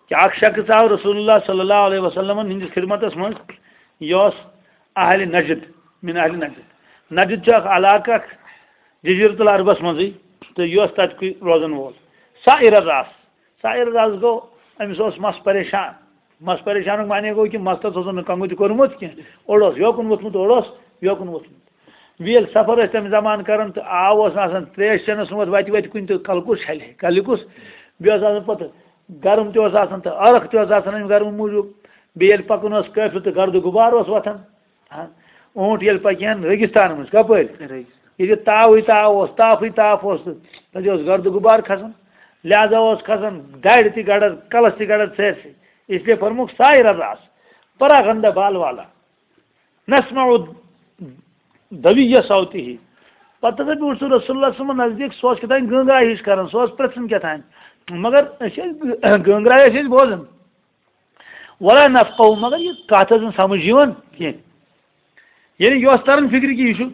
کہ اکھ شخص آو رسول اللہ صلی اللہ علیہ وسلمن ہٕنٛدِس خدمتس منٛز، یہِ اوس اہل نجد، من اہل نجد۔ نجد چھُ اکھ علاقہٕ اکھ جزیرت العربس منٛزٕے، تہٕ یہِ اوس تتہِ کُے روزن وول۔ سائر الراس، سائر الراس گوٚو، أمِس اوس مس پریشان۔ مس پریشانُک معنی گوٚو کہِ مستس اوس نہٕ کنگھو تہِ کوٚرمُت کینٛہہ، اوٚڑ اوس یوکُن ووٚتھمُت، اوٚڑ اوس یوکُن ووٚتھمُت۔ بیٚیہِ ییٚلہِ سفر ٲسۍ تَمہِ زمانہٕ کران تہٕ آو اوس نہٕ آسان ترٛیش چٮ۪نَس منٛز وَتہِ وَتہِ کُنہِ تہٕ کَلہٕ کُس چھَلہِ ہے، کَلہِ کُس؟ بیٚیہِ اوس آسان پَتہٕ گرم تہِ اوس آسان تہٕ عرق تہِ اوس آسان اَمہِ گرمہٕ موٗجوٗب۔ بیٚیہِ ییٚلہِ پَکُن اوس قٲفلہٕ تہٕ گردٕ غُبار اوس وۄتھان۔ ہاں، اوٗنٹ ییٚلہِ پَکہِ ہَن ریگِستان منٛز، کَپٲرۍ؟ ریگِستان۔ ییٚتہِ تاوٕے تاو اوس، تاپھٕے تاپھ اوس تہٕ تَتہِ اوس گردٕ غُبار کھسان۔ لہذا اوس کھسان دَرِ تہِ گڑان، کَلَس تہِ گڑان سٲرسٕے۔ اس لیے فرمووُکھ سائر الراس، پراغندہ بال والا۔ نسمع دویہ صوتہ۔ پتہٕ ہسا بیوٗٹھ سُہ رسول اللہ صلی اللہ علیہ وسلم نزدیٖک، سُہ اوس کیٛاہ تام گٲنگرا ہِش کران، سُہ اوس پرٛژھان کیٛاہ تام۔ مگر أسۍ ٲسۍ گٲنگرا ٲسۍ أسۍ بوزان۔ ولا نفقہ، مگر یہِ کتھ ٲس نہٕ سمجھ یِوان کینٛہہ۔ یعنی یہِ اوس تران فکرِ کہِ یہِ چھُ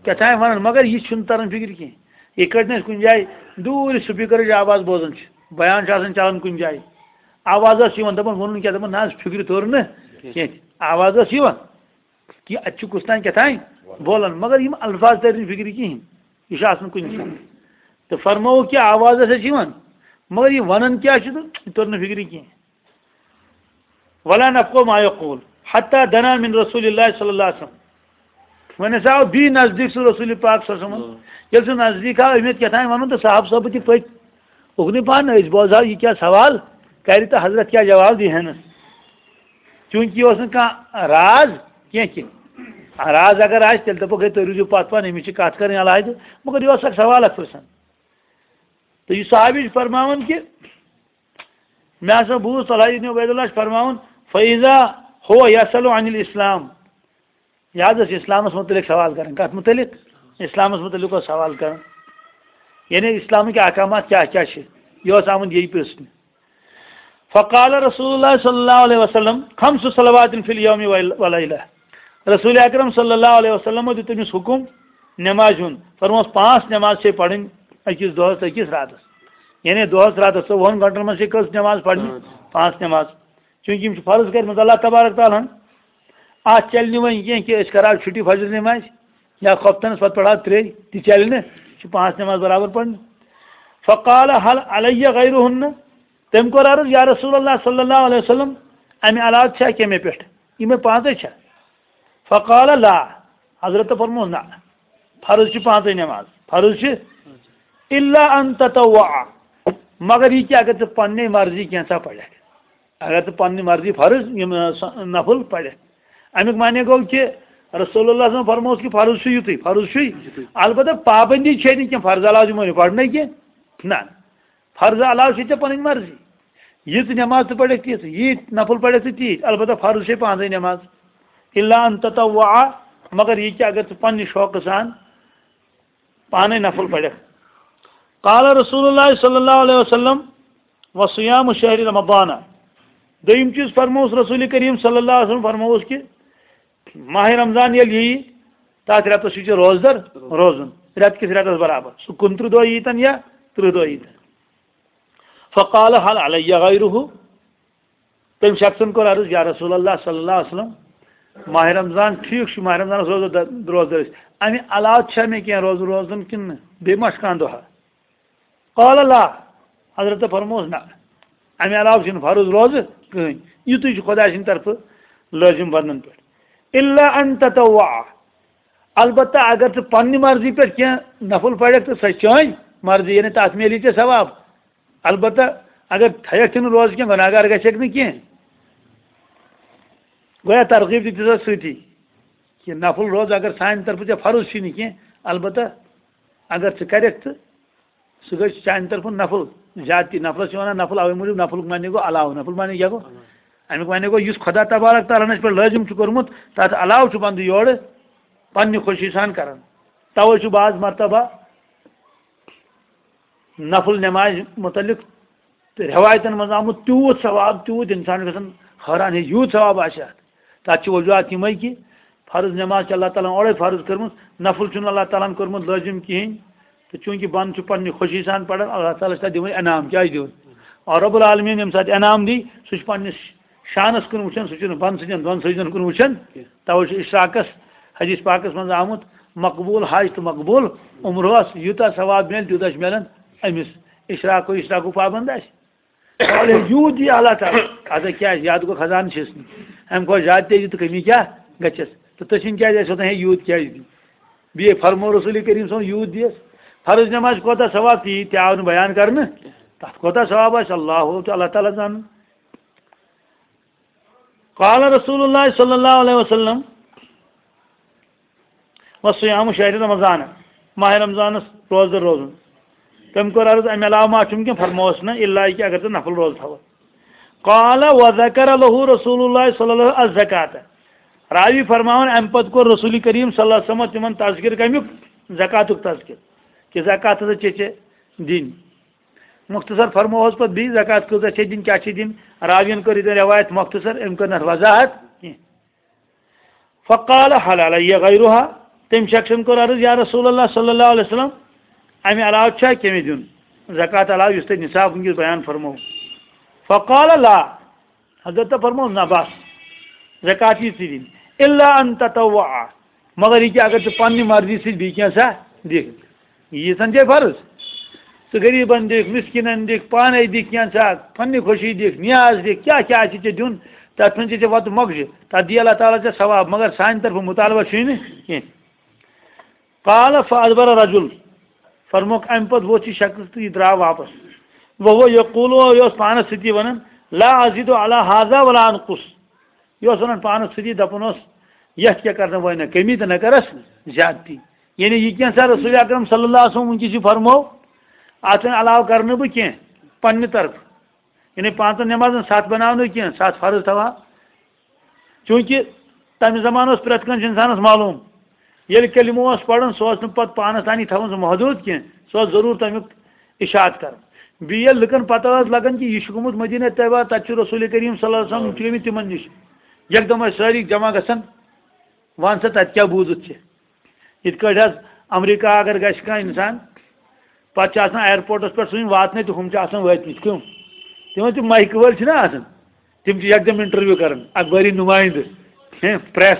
کیٛاہ تام ونان، مگر یہِ چھُنہٕ تران فکرِ کینٛہہ۔ یِتھ کٲٹھۍ نہٕ أسۍ کُنہِ جایہِ دوٗرِ سپیکرٕچ آواز بوزان چھِ، بیان چھُ آسان چلان کُنہِ جایہِ، آواز ٲس یِوان، دپان ووٚنُن کیٛاہ، دپان نہ حظ، فکرِ توٚر نہٕ کینٛہہ۔ آواز ٲس یِوان۔ کہِ اَتہِ چھُ کُس تام کیٛاہ تام بولان، مگر یِم الفاظ تَرِ نہٕ فِکرِ کِہیٖنۍ، یہِ چھُ آسان کُنہِ ساتہٕ۔ تہٕ فرمووُکھ کہِ آواز ہسا چھِ یِوان، مگر یہِ وَنان کیٛاہ چھُ تہٕ یہِ توٚر نہٕ فِکرِ کِہیٖنۍ۔ ولا نفقہ ما یقول حتی دنا من رسول اللہ صلی اللہ علیہ وسلم۔ وۄنۍ ہسا آو بیٚیہِ نزدیٖک سُہ رسول پاک صلی اللہ علیہ وسلم۔ ییٚلہِ سُہ نزدیٖک آو، أمۍ ہیوٚت کیٛاہ تام وَنُن تہٕ صاحب صٲبہٕ تہِ پٔکۍ اُکنُے پہن، أسۍ بوزہو یہِ کیٛاہ سوال کرِ تہٕ حضرت کیٛاہ جواب دی ہنس۔ چوٗنٛکہِ یہِ اوس نہٕ کانٛہہ راز کینٛہہ کہِ راز اگر آسہِ، تیٚلہِ دَپو، "ہے، تُہۍ روٗزِو پَتھ پَہَن، أمِس چھِ کَتھ کَرٕنۍ علیحدٕ۔" مگر یہِ اوس اَکھ سوال اَکھ پِرٛژھان۔ تہٕ یہِ صحابی چھُ فرماوان کہِ مےٚ ہسا بوٗز طلحہ ابن عبید اللہ چھُ فرماوان، "فَإِذَا هُوَ يَسْأَلُ عَنِ الْإِسْلَامِ۔" یہِ حظ ٲس اِسلامَس مُتعلِق سوال کَران۔ کَتھ مُتعلِق؟ اِسلامَس مُتعلِق اوس سوال کَران۔ یعنی اِسلامٕکۍ احکامات کیٛاہ کیٛاہ چھِ، یہِ اوس آمُت یی پرٛژھنہِ۔ فقال رسول اللہ صلی اللہ علیہ وسلم، "خمس صلوات فی الیوم ولیلہ۔" رسول اکرم صلی اللہ علیہ وسلم دیُت تٔمِس حُکُم نمازِ ہُنٛد۔ فرموس، "پانٛژھ نماز چھے پرٕنۍ أکِس دۄہس تہٕ أکِس راتس۔" یعنی دۄہس راتس ژۄوُہن گھنٹن منٛز چھے کٔژ نماز پرٕنۍ؟ پانٛژھ۔ پانٛژھ نماز۔ چوٗنٛکہِ یِم چھِ فرض کٔرمٕژ اللہ تبارک تعالیٰ ہن۔ اتھ چلہِ نہٕ وۄنۍ کینٛہہ کہِ أسۍ کرو چھُٹی فجر نمازِ یا خۄفتنس پتہٕ پرو ترٛے، تہِ چلہِ نہٕ۔ یہِ چھِ پانٛژھ نماز برابر پرنہِ۔ فقال، "هل علی غیرہن؟" تٔمۍ کوٚر عرض، "یا رسول اللہ صلی اللہ علیہ وسلم، امہِ علاوٕ چھا کینٛہہ مےٚ پٮ۪ٹھ؟ یِمے پانٛژے چھا؟" فقال، "لا۔" حضرت فرموس، "نہ، فرض چھِ پانٛژے نماز، فرض چھِ، الا ان تطوع، مگر یہِ کہِ اگر ژٕ پننہِ مرضی کینٛژھا پرکھ، اگر ژٕ پننہِ مرضی فرض یِم، ٲ، سۄ نفل پرکھ۔" امیُک معنی گوٚو کہِ رسول اللہ صلی اللہ علیہ وسلم فرموس کہِ فرض چھُ یُتُے، فرض چھُے، یُتُے۔ البتہ پابندی چھے نہٕ کینٛہہ، فرض علاوٕ دِمو نہٕ پرنَے کینٛہہ، نہ۔ فرض علاوٕ چھِ ژےٚ پنٕنۍ مرضی۔ یِژھ نماز ژٕ پرکھ تِژھ، ییٖتۍ نفل پرکھ ژٕ تیٖتۍ۔ البتہ فرض چھے پانٛژے نماز۔ الا ان تطوع، مگر یہِ کہِ اگر ژٕ پننہِ شوقہٕ سان پانے نفل پرکھ۔ قال رسول اللہ صلی اللہ علیہ وسلم، "وصیام شہر رمضان۔" دوٚیِم چیٖز فرمووُس رسول کریم صلی اللہ علیہ وسلم، فرمووُس کہِ ماہِ رمضان ییٚلہِ یِیہِ، تَتھ رٮ۪تَس چھُ ژےٚ روزدر روزُن، رٮ۪تہٕ کِس رٮ۪تَس برابر۔ سُہ کُنترٕہ دۄہ ییٖتَن یا تٕرٛہ دۄہ ییٖتَن۔ فقال، "هل علی غیرہ؟" تٔمۍ شخصن کوٚر عرض، "یا رسول اللہ صلی اللہ علیہ وسلم، ماہِ رمضان، ٹھیٖک چھُ، ماہِ رمضانَس روزو د-، روزدر أسۍ۔ اَمہِ علاوٕ چھا مےٚ کینٛہہ روزُن روزُن کِنہٕ نہٕ؟ بیٚیہِ ما چھُ کانٛہہ دۄہا؟" قال، "لا۔" حضرت فرموس، "نہ۔" امہِ علاوٕ چھُنہٕ فرض روزٕ کٕہٕنۍ۔ یِتُے چھُ خۄداے سٕنٛدِ طرفہٕ لٲزِم بنٛدن پٮ۪ٹھ۔ الا ان تطوع، البتہ اگر ژٕ پننہِ مرضی پٮ۪ٹھ کینٛہہ نفل پرکھ تہٕ سۄ چھِ چٲنۍ مرضی، یعنی تتھ میلی ژےٚ ثواب۔ البتہ اگر تھایکھ تہِ نہٕ روزٕ کینٛہہ، گۄناہ گار گژھکھ نہٕ کینٛہہ۔ گویا ترغیب تہِ دِژ اَتھ سۭتی کہِ نفل روزٕ اگر سانہِ طرفہٕ ژےٚ فرض چھُے نہٕ کینٛہہ، البتہ اگر ژٕ کرکھ تہٕ سُہ گژھِ چانہِ طرفہٕ نفل زیادتی۔ نفلس چھِ وَنان نفل، اَوَے موٗجوٗب نفلُک معنی گوٚو علاوٕ۔ نفل معنی کیٛاہ گوٚو؟ اَمیُک معنی گوٚو یُس خۄدا تبارک تعالیٰ ہَن اَسہِ پٮ۪ٹھ لٲزِم چھُ کوٚرمُت، تَتھ علاوٕ چھُ بنٛدٕ یورٕ پنٛنہِ خوشی سان کران۔ تَوَے چھُ بعض مرتبہ نفل نمازِ متعلق تہٕ رٮ۪وایتَن منٛز آمُت تیوٗت ثواب، تیوٗت اِنسان گژھان حٲران، ہے، یوٗت ثواب آسہِ اَتھ۔ تَتھ چھِ وجوہات یِمَے کہِ فرض نماز چھِ اللہ تعالیٰ ہَن اورَے فرض کٔرمٕژ، نفل چھُنہٕ اللہ تعالیٰ ہَن کوٚرمُت لٲزِم کِہیٖنۍ۔ تہٕ چوٗنٛکہِ بنٛدٕ چھُ پنٛنہِ خوشی سان پَران، اللہ تعالیٰ چھِ تَتھ دِوان انعام۔ کیٛازِ دِوان؟ اور رب العالمین ییٚمہِ ساتہٕ انعام دی، سُہ چھُ پنٛنِس شانَس کُن وٕچھان، سُہ چھُنہٕ بۄنہٕ سٕنٛدٮ۪ن دۄن سجدن کُن وٕچھان۔ کینٛہہ۔ تَوَے چھُ اشراقَس حدیث پاکَس منٛز آمُت، مقبول حج تہٕ مقبول عمرٕ اوس، یوٗتاہ ثواب میلہِ، تیوٗتاہ چھُ میلان أمِس اشراق و اشراقُک پابند آسہِ۔ وَلہٕ یوٗت دِیہِ اللہ تعالیٰ۔ اَدٕ کیٛازِ؟ یَتھ گوٚو خزانہٕ چھِس نہٕ۔ اَمہِ کھۄتہٕ زیادٕ تہِ دِ تہٕ کٔمی کیٛاہ گژھٮ۪س؟ تہٕ تٔچھِنۍ کیٛازِ آسہِ وَنان، ہے، یوٗت کیٛازِ دِیہِ؟ بیٚیہِ فرموو رسول کریٖم صٲبَن، یوٗت دِیَس۔ فرض نماز کوتاہ ثواب، تی تہِ آو نہٕ بیان کرنہٕ۔ تَتھ کوتاہ ثواب آسہِ، اللہ تہٕ اللہ تعالیٰ زانَن۔ قال رسول اللہ صلی اللہ علیہ وسلم، وصیام شہر رمضان، ماہ رمضانس روزدر روزُن۔ تٔمۍ کوٚر عرض، امہِ علاوٕ ما چھُم کینٛہہ؟ فرمووس نہٕ، الا کہِ اگر ژٕ نفل روزٕ تھاوَکھ۔ قال وذکر لہ رسول اللہ صلی اللہ علیہ وسلم الزکاۃ۔ راوی فرماوان، امہِ پتہٕ کوٚر رسول کریم صلی اللہ علیہ وسلم تِمن تذکر کمیُک؟ زکاتُک تذکر، کہِ زکات ہسا چھے ژےٚ دِنۍ۔ مختصر فرمووس پتہٕ بیٚیہِ، زکات کۭژاہ چھے دِنۍ، کیٛاہ چھے دِنۍ؟ راوین کٔر ییٚتٮ۪ن رٮ۪وایت مختصر، أمۍ کٔر نہٕ اَتھ وضاحت کینٛہہ۔ فقال هل علی غیرها، تٔمۍ شخصن کوٚر عرض، یا رسول اللہ صلی اللہ علیہ وسلم، امہِ علاوٕ چھا کینٛہہ مےٚ دیُن؟ زکات علاوٕ یُس تۄہہِ نصاب وٕنکیٚس بیان فرموو۔ فقال لا، حضرت فرموو، نہ بس، زکات یی ژےٚ دِنۍ، الا ان تطوع، مگر یہِ کہِ اگر ژٕ پننہِ مرضی سۭتۍ بیٚیہِ کینٛژھا دِکھ، ییٖژن چھے فرض۔ ژٕ غریٖبن دِکھ، مِسکیٖنن دِکھ، پانے دِکھ کینٛژھا، پننہِ خوشی دِکھ، نیاز دِکھ، کیٛاہ کیٛاہ آسہِ ژےٚ دیُن، تتھ منٛز چھے ژےٚ وتہٕ مۄکجہِ، تتھ دِیہِ اللہ تعالیٰ ژےٚ ثواب، مگر سانہِ طرفہٕ مطالبہ چھُے نہٕ کینٛہہ۔ قال فادبر رجل، فرموکھ، امہِ پتہٕ ووٚتھ یہِ شخص تہٕ یہِ درٛاو واپس۔ وہو یقول، یہِ اوس پانس سۭتی ونان، لا ازید علی هذا ولا انقص، یہِ اوس ونان پانس سۭتی، دپان اوس، یتھ کیٛاہ کرنہٕ وۄنۍ نہ کمی تہٕ نہ کرس زیادتی۔ یعنی یہِ کینٛژھا رسول اکرم صلی اللہ علیہ وسلم وٕنکیٚس یہِ فرموو، اتھ وۄنۍ علاوٕ کرٕ نہٕ بہٕ کینٛہہ پننہِ طرفہٕ۔ یعنی پانٛژن نمازن ستھ بناونہٕ کینٛہہ، ستھ فرض تھاوہا۔ چوٗنٛکہِ تمہِ زمانہٕ اوس پرٛٮ۪تھ کٲنٛسہِ انسانس معلوم، ییٚلہِ کلمہٕ اوس پران، سُہ اوس نہٕ پتہٕ پانس تانی تھاوان سُہ محدوٗد کینٛہہ، سُہ اوس ضروٗر تمیُک اشاعت کران۔ بیٚیہِ ییٚلہِ لُکن پتہ ٲس لگان کہِ یہِ چھُ گوٚمُت مدینہ طیبہ، تتہِ چھُ رسول کریم صلی اللہ علیہ وسلم، یِم چھِ گٔمٕتۍ تِمن نِش، یکدم ٲسۍ سٲری جمع گژھان، ون سا تتہِ کیٛاہ بوٗزُتھ ژےٚ؟ یِتھ کٲٹھۍ حظ امریکہ اگر گژھِ کانٛہہ انسان، پتہٕ چھِ آسان ایئرپورٹس پٮ۪ٹھ سُہ واتنٕے تہٕ ہُم چھِ آسان وٲتمٕتۍ۔ کٕم؟ تِمن تِم مایکہٕ وٲلۍ چھِنہ آسان، تِم چھِ یکدم انٹرویو کران، اخبٲری نمایندٕ، ہیں، پریس،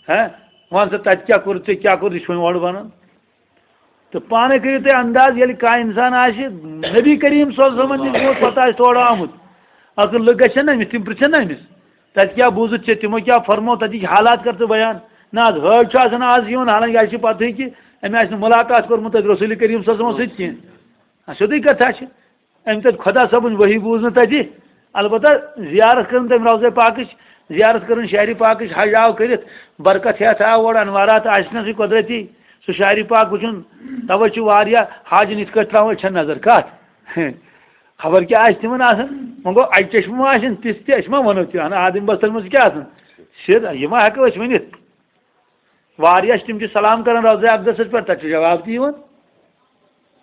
ہیں، ون سا تتہِ کیٛاہ کوٚر ژےٚ، کیٛاہ کوٚر، یہِ چھُ وۄنۍ اورٕ ونان۔ تہٕ پانے کٔرِو تُہۍ انداز، ییٚلہِ کانٛہہ انسان آسہِ نبی کریم صلی اللہ علیہ وسلمن نِش گوٚمُت، پتہٕ آسہِ تورٕ آمُت، اصل لُکھ گژھن نہ أمِس، تِم پرژھن نہ أمِس، تتہِ کیٛاہ بوٗزُتھ ژےٚ، تِمو کیٛاہ فرموو، تتِکۍ حالات کر ژٕ بیان۔ نہ حظ، حٲج چھُ آسان آز یِوان، حالانکہ اسہِ چھِ پتہٕے کہِ أمۍ آسہِ نہٕ ملاقات کوٚرمُت تتہِ رسول کریم صلی اللہ علیہ وسلمس سۭتۍ کینٛہہ۔ آ، سیوٚدُے کتھا چھِ۔ أمۍ تتہِ خۄدا صٲبٕنۍ وحی بوٗز نہٕ تتہِ۔ البتہ زیارت کٔرٕن تٔمۍ روضہ پاکٕچ، زیارت کٔرٕن شہرِ پاکٕچ، حج آو کٔرِتھ، برکت ہٮ۪تھ آو اورٕ، انوارات آسنَسٕے قۄدرتی، سُہ شہرِ پاک وٕچھُن۔ توے چھِ واریاہ حاجن یِتھ کٲٹھۍ تراوان أچھن نظر۔ کتھ؟ خبر کیٛاہ آسہِ تِمن آسان۔ وۄنۍ گوٚو اکہِ چشمہٕ ما آسن تِژھ تہِ، أسۍ ما ونو تہِ، ہن آدم بستر منٛز کیٛاہ آسان؟ سیوٚد، یہِ ما ہٮ۪کو أسۍ ؤنِتھ؟ واریاہ چھِ تِم چھِ سلام کران روضہ اقدسس پٮ۪ٹھ، تتہِ چھُ جواب تہِ یِوان۔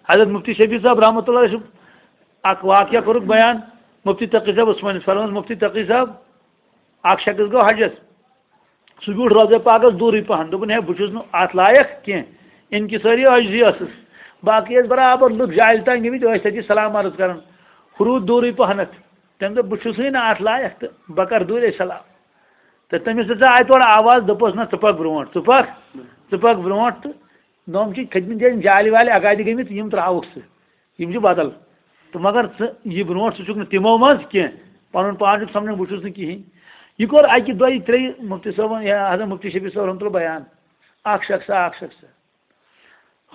حضرت مفتی شبیر صٲب رحمۃ اللہ چھُ اکھ واقعہ کوٚرُکھ بیان، مفتی تقی صٲب عثمانیس فرمووُس، مفتی تقی صٲب، اکھ شخص گوٚو حجس، سُہ بیوٗٹھ روضہ پاکس دوٗرٕے پہن، دوٚپُن، ہے، بہٕ چھُس نہٕ اتھ لایق کینٛہہ، انکسٲری عاجزی ٲسٕس، باقٕے ٲسۍ برابر لُکھ جالہِ تام گٔمٕتۍ، ٲسۍ تتہِ سلام عرض کران، ہُہ روٗد دوٗرٕے پہنتھ۔ تٔمۍ دوٚپ، بہٕ چھُسٕے نہٕ اتھ لایق تہٕ بہٕ کرٕ دوٗرے سلام۔ تہٕ تٔمِس ہسا آیہِ تورٕ آواز، دوٚپُس، نہ، ژٕ پکھ برونٛٹھ، ژٕ پکھ، ژٕ پکھ برونٛٹھ۔ تہٕ نوٚم چھِ کھٔتمٕتۍ جایہِ جالہِ والہِ اگادِ گٔمٕتۍ، یِم ترٛاوُکھ ژٕ، یِم چھِ بدل۔ تہٕ مگر ژٕ یہِ برونٛٹھ، ژٕ چھُکھ نہٕ تِمو منٛز کینٛہہ، پَنُن پان چھُکھ سَمجھان، بہٕ چھُس نہٕ کِہیٖنۍ۔ یہِ کوٚر اَکہِ دۄیہِ ترٛیٚیہِ مُفتی صٲبَن یا حضرت مُفتی شفیع صٲب رحمتہ اللہ بیان، اَکھ شخص، اَکھ شخص۔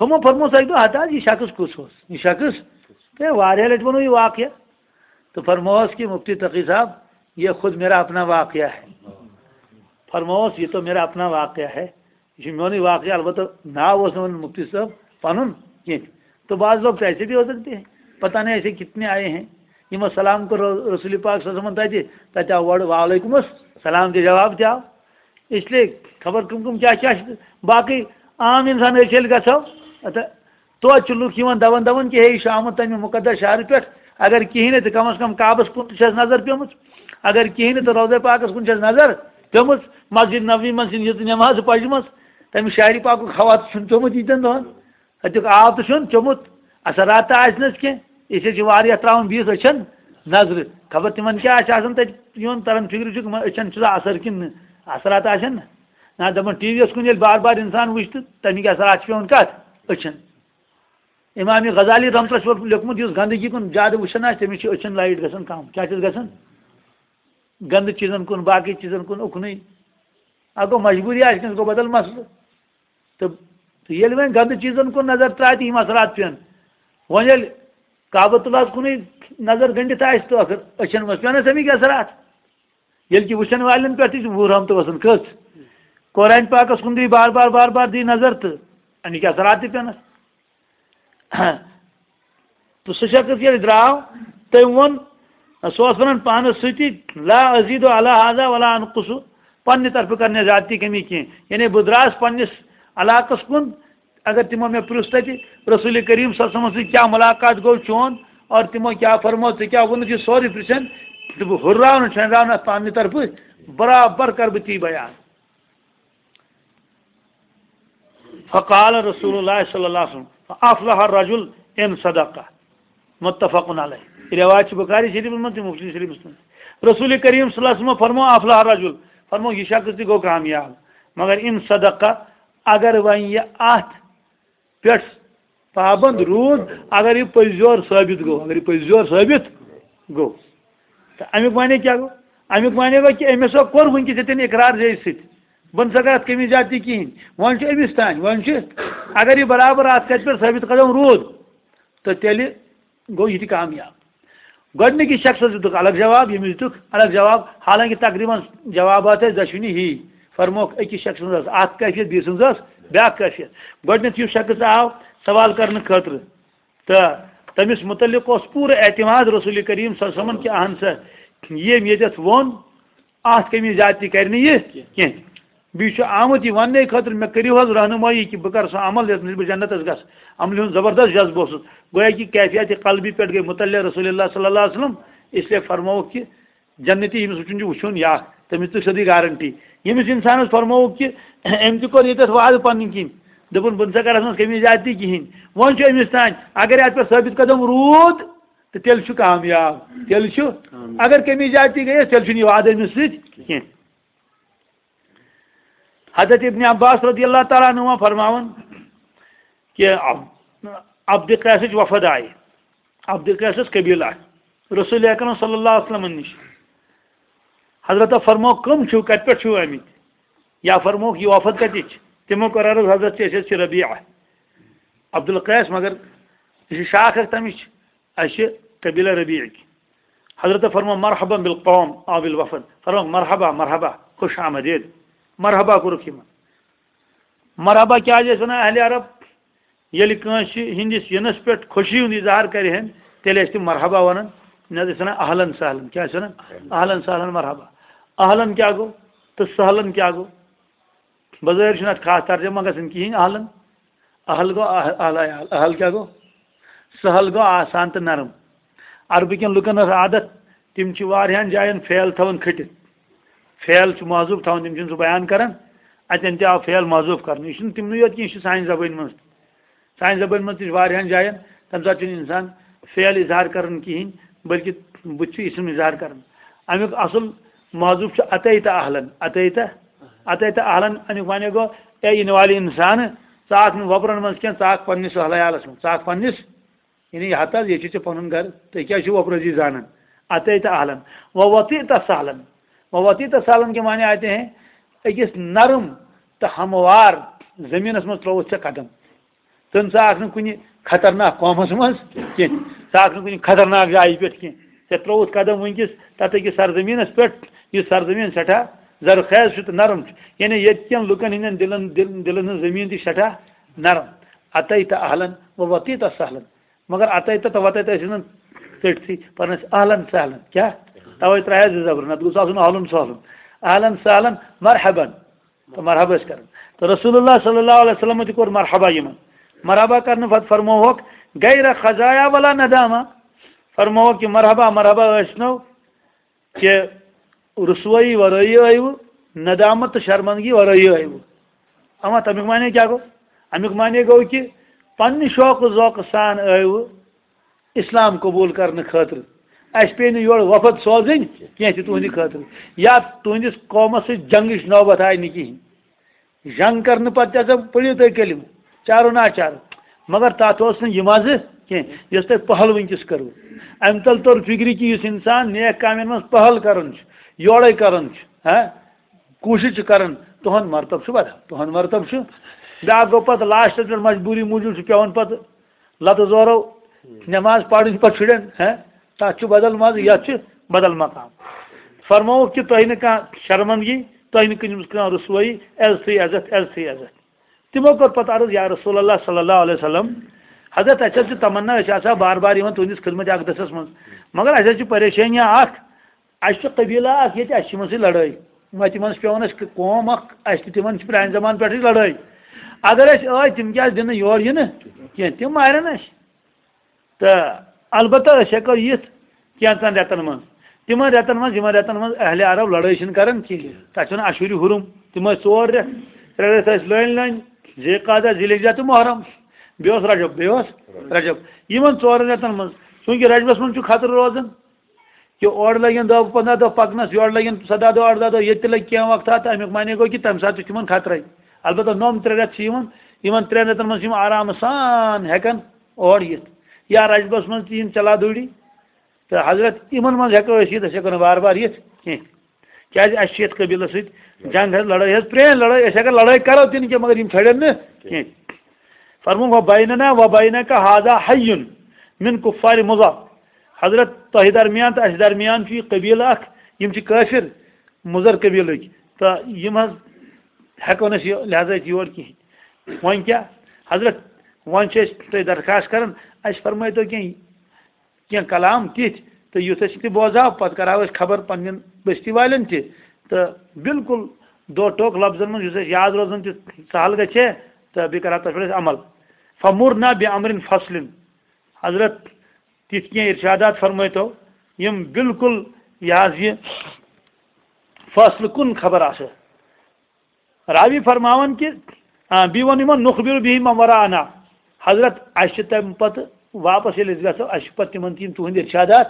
ہُمو فرموس اَکہِ دۄہ، ہتا حظ، یہِ شخص کُس اوس؟ یہِ شخص، تہٕ واریاہ لَٹہِ ووٚنُو یہِ واقعہ۔ تہٕ فرموس کہ مفتی تقی صاحب، یہ خود میرا اپنا واقعہ ہے۔ فرموس، یہ تو میرا اپنا واقعہ ہے۔ یہ چھُ میونُے واقعہ، البتہ ناو اوس نہٕ وَنان مفتی صٲب پَنُن کینٛہہ۔ تو بعض لوگ تو ایسے بھی ہو سکتے ہیں، پتہ نہیں ایسے کتنے آئے ہیں۔ یِمو سلام کوٚر رسول پاک صلی اللہ علیہ وسلم تَتہِ، تَتہِ آو گۄڈٕ وعلیکم السلام تہِ جواب تہِ آو۔ اس لیے خبر کم کم کیا کیا چھ۔ باقی عام انسان أسۍ ییٚلہِ گژھو، اتھ توتہِ چھِ لُکھ یِوان دَوان دَوان کہِ ہے، یہِ چھُ آمُت تَمہِ مُقدس شہرٕ پٮ۪ٹھ، اگر کِہیٖنۍ نہٕ تہٕ کم از کم کعبَس کُن تہِ چھَس نظر پیمٕژ، اگر کِہیٖنۍ نہٕ تہٕ روضہ پاکَس کُن چھَس نظر پیمٕژ، مسجد نبوی منٛز چھِنہٕ ییٖژٕ نٮ۪مازٕ پَجمَژ، تَمہِ شہرِ پاکُک ہوا تہِ چھُنہٕ پیوٚمُت ییٖتٮ۪ن دۄہَن۔ اَتیُک آب تہٕ چھُنہٕ چوٚمُت، اثرات تہِ آسہِ نہٕ کینٛہہ۔ أسۍ حظ چھِ واریاہ ترٛاوان بیٚیِس أچھَن نظرِ۔ خبر تِمَن کیٛاہ آسہِ آسان تَتہِ یُن تَران فِکرِ چھُکھ، یِمَن أچھَن چھُ سا اثر کِنہٕ نہٕ؟ اثرات آسن نہ؟ نہ، دَپان ٹی وی یَس کُن ییٚلہِ بار بار اِنسان وٕچھِ تہٕ تَمِکۍ اثرات چھِ پٮ۪وان کَتھ؟ أچھَن۔ امام غزالی رحمتہ اللہ چھُ لیوٚکھمُت، یُس گندگی کُن زیادٕ وٕچھان آسہِ، تٔمِس چھِ أچھَن لایٹ گژھان کَم۔ کیٛاہ چھَس گژھان؟ گنٛدٕ چیٖزَن کُن، باقٕے چیٖزَن کُن اُکنُے۔ اَتھ گوٚو مجبوٗری آسہِ کٲنٛسہِ، گوٚو بدل مسلہٕ۔ تہٕ تہٕ ییٚلہِ وۄنۍ گنٛدٕ چیٖزن کُن نظر ترٛایہِ تہٕ یِم اثرات پیٚن۔ وۄنۍ ییٚلہِ کعبۃ اللہس کُنُے نظر گٔنٛڈِتھ آسہِ تہٕ ٲخٕر أچھن منٛز پیٚن اَسہِ اَمِکۍ اثرات۔ ییٚلہِ کہِ وٕچھن والٮ۪ن پٮ۪ٹھ تہِ چھِ وُہ رحمتہٕ وسان۔ کٔژ؟ قرآن پاکس کُن دی بار بار بار بار دی نظر تہٕ اَمِکۍ اثرات تہِ پیٚنس۔ تہٕ سُہ شخص ییٚلہِ درٛاو، تٔمۍ ووٚن، سُہ اوس وَنان پانَس سۭتی، "لا أزیٖدُ علی ہذا ولا انقصُ"، پننہِ طرفہٕ کرنہِ زیادتی کمی کینٛہہ۔ یعنی بہٕ درٛاس پننِس علاقس کُن، اگر تِمو مےٚ پرٛژھ تَتہِ، رسول کریم صلی اللہ علیہ وسلمس سۭتۍ کیٛاہ ملاقات گوٚو چون، اور تِمو کیٛاہ فرموو، ژےٚ کیٛاہ ووٚنُتھ، یہِ سورُے پرٛژھن، تہٕ بہٕ ہُرراوٕ نہٕ، چھۄنراوٕ نہٕ اَتھ پننہِ طرفہٕ، برابر کرٕ بہٕ تی بیان۔ فقال رسول اللہ صلی اللہ علیہ وسلم، "فافلح الرجل ان صدق"۔ متفق علیہ۔ یہ روایت چھِ بخاری شریفس منٛز تہٕ مسلم شریفس منٛز۔ رسول کریم صلی اللہ علیہ وسلم فرمو، "افلح الرجل"، فرمو، یہ شخص تہِ گوٚو کامیاب۔ مگر ان صدق، اگر وۄنۍ یہِ اتھ پٮ۪ٹھ پابند روٗد، اگر یہِ پٔزۍ یور ثٲبت گوٚو، اگر یہِ پٔزۍ یور ثٲبت گوٚو۔ تہٕ اَمیُک معنی کیٛاہ گوٚو؟ اَمیُک معنی گوٚو کہِ أمِس ہا کوٚر وٕنکیٚس ییٚتٮ۪ن اقرار زے سۭتۍ، بہٕ نہٕ سا کَرٕ اَتھ کٔمی زیادتی کِہیٖنۍ۔ وۄنۍ چھُ أمِس تام، وۄنۍ چھُ، اگر یہِ برابر اَتھ کَتھِ پٮ۪ٹھ ثٲبت قدم روٗد، تہٕ تیٚلہِ گوٚو یہِ تہِ کامیاب۔ گۄڈٕنِکِس شخصس دِتُکھ الگ جواب، ییٚمِس دِتُکھ الگ جواب، حالانکہِ تقریباً جوابات ٲسۍ دۄشوٕنی ہی۔ فرموکھ أکِس شخص سٕنٛز ٲس اکھ کیفیت، بیٚیہِ سٕنٛز ٲس بیٛاکھ کیفیت۔ گۄڈٕنیتھ یُس شخص آو سوال کرنہٕ خٲطرٕ، تہٕ تٔمِس متعلق اوس پوٗرٕ اعتماد رسول کریم صلی اللہ علیہ وسلمن کہِ اہن سا، ییٚمۍ ییٚتٮ۪تھ ووٚن، اتھ کٔمی زیادتی کرِ نہٕ یہِ کینٛہہ۔ بیٚیہِ چھُ آمُت یہِ وننہٕ خٲطرٕ، مےٚ کٔرِو حظ رہنمٲیی کہِ بہٕ کرٕ سُہ عمل یتھ منٛز بہٕ جنتس گژھٕ۔ عملہِ ہُنٛد زبردست جذبہٕ اوسُس۔ گویا کہِ کیفیت قلبی پٮ۪ٹھ گٔے متعلق رسول اللہ صلی اللہ علیہ وسلم، اس لیے فرمووُکھ کہِ جنتی ییٚمِس وٕچھُن چھُ، وٕچھُن یا تٔمِس تُج سیوٚدُے گارنٹی۔ ییٚمِس اِنسانَس فرمووُکھ کہِ أمۍ تہِ کوٚر ییٚتٮ۪تھ وعدٕ پنٕنۍ کِنۍ، دوٚپُن، "بہٕ نہٕ سا کَرَس منٛز کٔمی زیادتی کِہیٖنۍ"، وۄنۍ چھُ أمِس تام، اگر اَتھ پٮ۪ٹھ ثٲبت قدم روٗد، تہٕ تیٚلہِ چھُ کامیاب، تیٚلہِ چھُ۔ کامیاب۔ اگر کٔمی زیادتی گٔیَس، تیٚلہِ چھُنہٕ یہِ وعدٕ أمِس سۭتۍ کینٛہہ۔ حضرت ابن عباس رضی اللہ تعالیٰ عنہما فرماوان کہ عب-، عبد قیسٕچ وفد آیہِ، عبد قیسس قبیلہٕ آسہِ رسول اکرم صلی اللہ علیہ وسلم نِش۔ حضرت فرموو، "کٕم چھِو، کتہِ پٮ۪ٹھ چھِو آمٕتۍ؟" یا فرمووُکھ، "یہِ وفد کتِچ؟" تِمو کوٚر عرض، "حضرت چھِ، أسۍ حظ چھِ ربیعہ عبد القیس، مگر یہِ چھِ شاخ اکھ تمِچ، اَسہِ چھِ قبیلہ ربیعٕکۍ۔" حضرت فرموو، "مرحبا بالقوم او بالوفد"، فرمووُکھ، "مرحبا، مرحبا، خوش آمدید"، مرحبا کوٚرُکھ یِمن۔ مرحبا کیٛازِ ٲسۍ ونان اہلِ عرب؟ ییٚلہِ کٲنٛسہِ ہٕنٛدِس یِنس پٮ۪ٹھ خوشی ہُنٛد اظہار کرِہن، تیٚلہِ ٲسۍ تِم مرحبا ونان، نتہٕ ٲسۍ ونان اہلن سہلن۔ کیٛاہ ٲسۍ ونان؟ اہلن سہلن مرحبا۔ اہلن کیٛاہ گوٚو تہٕ سہلن کیٛاہ گوٚو؟ بظٲہر چھُنہٕ اتھ خاص ترجمہ گژھان کِہیٖنۍ۔ اہلن، اہل گوٚو اہل، اہل عیال۔ اہل کیٛاہ گوٚو؟ سہل گوٚو آسان تہٕ نرم۔ عربہٕ کٮ۪ن لُکن ٲس عادت، تِم چھِ واریاہن جاین فعل تھاوان کھٔٹِتھ۔ فعل چھُ محذوف تھاوان، تِم چھِنہٕ سُہ بیان کران۔ اتٮ۪ن تہِ آو فعل محذوف کرنہٕ۔ یہِ چھُنہٕ تِمنٕے یوت کینٛہہ، یہِ چھُ سانہِ زبٲنۍ منٛز تہِ۔ سانہِ زبٲنۍ منٛز تہِ چھِ واریاہن جاین، تمہِ ساتہٕ چھُنہٕ انسان فعل اظہار کران کِہیٖنۍ، بلکہِ بُتھِ چھُ اسم اظہار کران۔ امیُک اصل محذوف چھُ اتیت اہلن، اتیت، اتیت اہلن۔ امیُک معنی گوٚو، اے یِنہٕ والہِ انسان، ژٕ آکھ نہٕ وۄپرن منٛز کینٛہہ، ژٕ آکھ پننِس اہل عیالس منٛز، ژٕ آکھ پننِس یعنی ہتہٕ حظ، ییٚتہِ چھُ ژےٚ پنُن گرٕ، تُہۍ کیٛاہ چھِو وۄپرٲسی زانان؟ اتیت اہلن و وطیت سہلن۔ و وطیت سہلن کے معنی آتے ہیں، أکِس نرم تہٕ ہموار زٔمیٖنَس منٛز ترٛووُتھ ژےٚ قدم۔ تہٕ ژٕ آکھ نہٕ کُنہِ خطرناک قومَس منٛز کینٛہہ، ژٕ آکھ نہٕ کُنہِ خطرناک جایہِ پٮ۪ٹھ کینٛہہ۔ ژےٚ ترٛووُتھ قدم وٕنکیٚس تَتھ أکِس سرزٔمیٖنَس پٮ۪ٹھ، یُس سرزٔمیٖن سٮ۪ٹھاہ زرخیز چھُ تہٕ نرم چھُ۔ یعنی ییٚتہِ کٮ۪ن لُکَن ہٕنٛدٮ۪ن دِلَن، دِل-، دِلَن ہٕنٛز زٔمیٖن تہِ چھِ سہلن۔ و وطیت سہلن۔ مگر اتیت تہٕ وتیت ٲسۍ نہٕ ژٔٹتھٕے، پران ٲسۍ اہلن سہلن۔ کیٛاہ؟ توے ترٛایس زٕ زبر، نتہٕ گوٚژھ آسُن اہلن سہلن۔ اہلن سہلن، مرحبن۔ تہٕ مرحبا ٲسۍ کران۔ تہٕ رسول اللہ صلی اللہ علیہ وسلم تہِ کوٚر مرحبا یِمن۔ مرحبا کرنہٕ پتہٕ فرمووُکھ، غیر خزایا ولا ندامہ۔ فرمووُکھ کہِ مرحبا، مرحبا ٲسۍ نو کہِ رسوٲیی ورٲیی ٲیوٕ، ندامت تہٕ شرمندگی ورٲیی ٲیوٕ۔ اما تمیُک معنی کیٛاہ گوٚو؟ امیُک معنی گوٚو کہِ پننہِ شوق و ذوقہٕ سان ٲیوٕ اسلام قبول کرنہٕ خٲطرٕ۔ اسہِ پیٚیہِ نہٕ یورٕ وفد سوزٕنۍ کینٛہہ تہِ تُہنٛدِ خٲطرٕ، یا تُہنٛدِس قومس سۭتۍ جنگٕچ نوبت آیہِ نہٕ کِہیٖنۍ۔ جنگ کرنہٕ پتہٕ تہِ ہسا پٔرِو تُہۍ کلمہٕ، چارو ناچارو۔ مگر تتھ اوس نہٕ یہِ مزٕ کینٛہہ، یۄس تۄہہِ پہل وٕنکیٚس کٔروٕ۔ امہِ تل توٚر فکرِ کہِ یُس انسان نیک کامٮ۪ن منٛز پہل کران چھُ، یورے کران چھُ، ہاں، کوٗشِش چھُ کران، تُہُنٛد مرتب چھُ بدل، تُہُنٛد مرتب چھُ۔ بیٛاکھ گوٚو پتہٕ لاسٹس پٮ۪ٹھ مجبوٗری موٗجوٗب چھُ پٮ۪وان پتہٕ لتہٕ زورو نٮ۪ماز پرٕنۍ پتہٕ شُرٮ۪ن، ہاں، تتھ چھُ بدل مزٕ، یتھ چھُ بدل مقام۔ فرمووُکھ کہِ تۄہہِ نہٕ کانٛہہ شرمندگی، تۄہہِ نہٕ کُنہِ منٛز کانٛہہ رسوٲیی، عزتٕے عزت، عزتٕے عزت۔ تِمو کوٚر پتہٕ عرض، یا رسول اللہ صلی اللہ علیہ وسلم، حضرت، اَسہِ حظ چھِ تمنا، أسۍ آسہٕ ہا بار بار یِوان تُہنٛدِس خدمت اقدسس منٛز، مگر اَسہِ حظ چھِ پریشٲنی اکھ، اَسہِ چھُ قبیلہٕ اکھ ییٚتہِ، اَسہِ چھِ یِمن سۭتۍ لڑٲے، وۄنۍ تِمن چھِ پٮ۪وان اَسہِ قوم اکھ، اَسہِ تہِ تِمن چھِ پرانہِ زمانہٕ پٮ۪ٹھٕے لڑٲے۔ اگر أسۍ ٲے، تِم کیازِ دِنہٕ یور یِنہٕ کینٛہہ؟ تِم مارن اَسہِ۔ تہٕ البتہ أسۍ ہٮ۪کو یِتھ کینٛژن رٮ۪تن منٛز۔ تِمن رٮ۪تن منٛز، یِمن رٮ۪تن منٛز اہلِ عرب لڑٲے چھِنہٕ کران کِہیٖنۍ۔ تَتھ چھِ وَنان اشہُرِ حرم۔ تِم ٲسۍ ژور رٮ۪تھ، ترٛےٚ رٮ۪تھ ٲسۍ لٲنۍ لٲنۍ، ذی قعدہ، ذی الحجہ تہٕ محرم۔ بیٚیہِ اوس رجب، بیٚیہِ اوس رجب۔ یِمن ژورن رٮ۪تن منٛز، چوٗنٛکہِ رجبس منٛز چھُ خطرٕ روزان، کہِ اورٕ لگن دہ پنٛداہ دۄہ پکنس، یورٕ لگن سداہ دۄہ، ارداہ دۄہ، ییٚتہِ تہِ لگہِ کینٛہہ وقتہ، تہٕ امیُک معنی گوٚو کہِ تمہِ ساتہٕ تہِ چھُ تِمن خطرے۔ البتہ نوٚم ترٛےٚ رٮ۪تھ چھِ یِوان، یِمن ترٛٮ۪ن رٮ۪تن منٛز چھِ یِم آرام سان ہٮ۪کان اور یِتھ۔ یا رجبس منٛز تہِ یِم چلا دوٗری، تہٕ حضرت یِمن منٛز ہٮ۪کو أسۍ یِتھ، أسۍ ہٮ۪کو نہٕ بار بار یِتھ کینٛہہ۔ کیازِ اَسہِ چھِ یَتھ قبیٖلَس سۭتۍ جنگ حظ، لڑٲے حظ، پرٛٲنۍ لڑٲے، أسۍ اگر لڑٲے کرو تہِ نہٕ کینٛہہ، مگر یِم چھڑن نہٕ کینٛہہ۔ فرموو، "وبیننا وبینک ھذا حی من کفار مضر۔" حضرت، تۄہہِ درمیان تہٕ اَسہِ درمیان چھُ یہِ قبیٖلہٕ اکھ، یِم چھِ کٲفِر، مُضر قبیٖلٕکۍ، تہٕ یِم حظ ہٮ۪کو نہٕ أسۍ یہِ، لہذا أسۍ یور کِہیٖنۍ۔ وۄنۍ کیٛاہ؟ حضرت، وۄنۍ چھِ أسۍ تۄہہِ درخواست کران، اَسہِ فرمٲیتو کینٛہہ کینٛہہ کلام تِتھۍ، تہٕ یُتھ أسۍ تہِ بوزہاو، پتہٕ کرہاو أسۍ خبر پننٮ۪ن بستی والٮ۪ن تہِ۔ تہٕ بالکل دو ٹوک لفظن منٛز یُس اَسہِ یاد روزان تہِ سہل گژھِ ہے، تہٕ بیٚیہِ کرہاو تتھ پٮ۪ٹھ أسۍ عمل۔ فمرنا بامر فصل۔ حضرت، تِتھۍ کینٛہہ ارشادات فرمٲیتو، یِم بالکل یہِ حظ یہِ فٲصلہٕ کُن خبر آسہٕ۔ راوی فرماوان کہِ، آ، بیٚیہِ ووٚن یِمن، "نخبر به من وراءنا۔" حضرت، اَسہِ چھِ تَمہِ پتہٕ واپس ییٚلہِ أسۍ گژھو، اَسہِ چھِ پتہٕ تِمن تہِ یِم تُہنٛدۍ ارشادات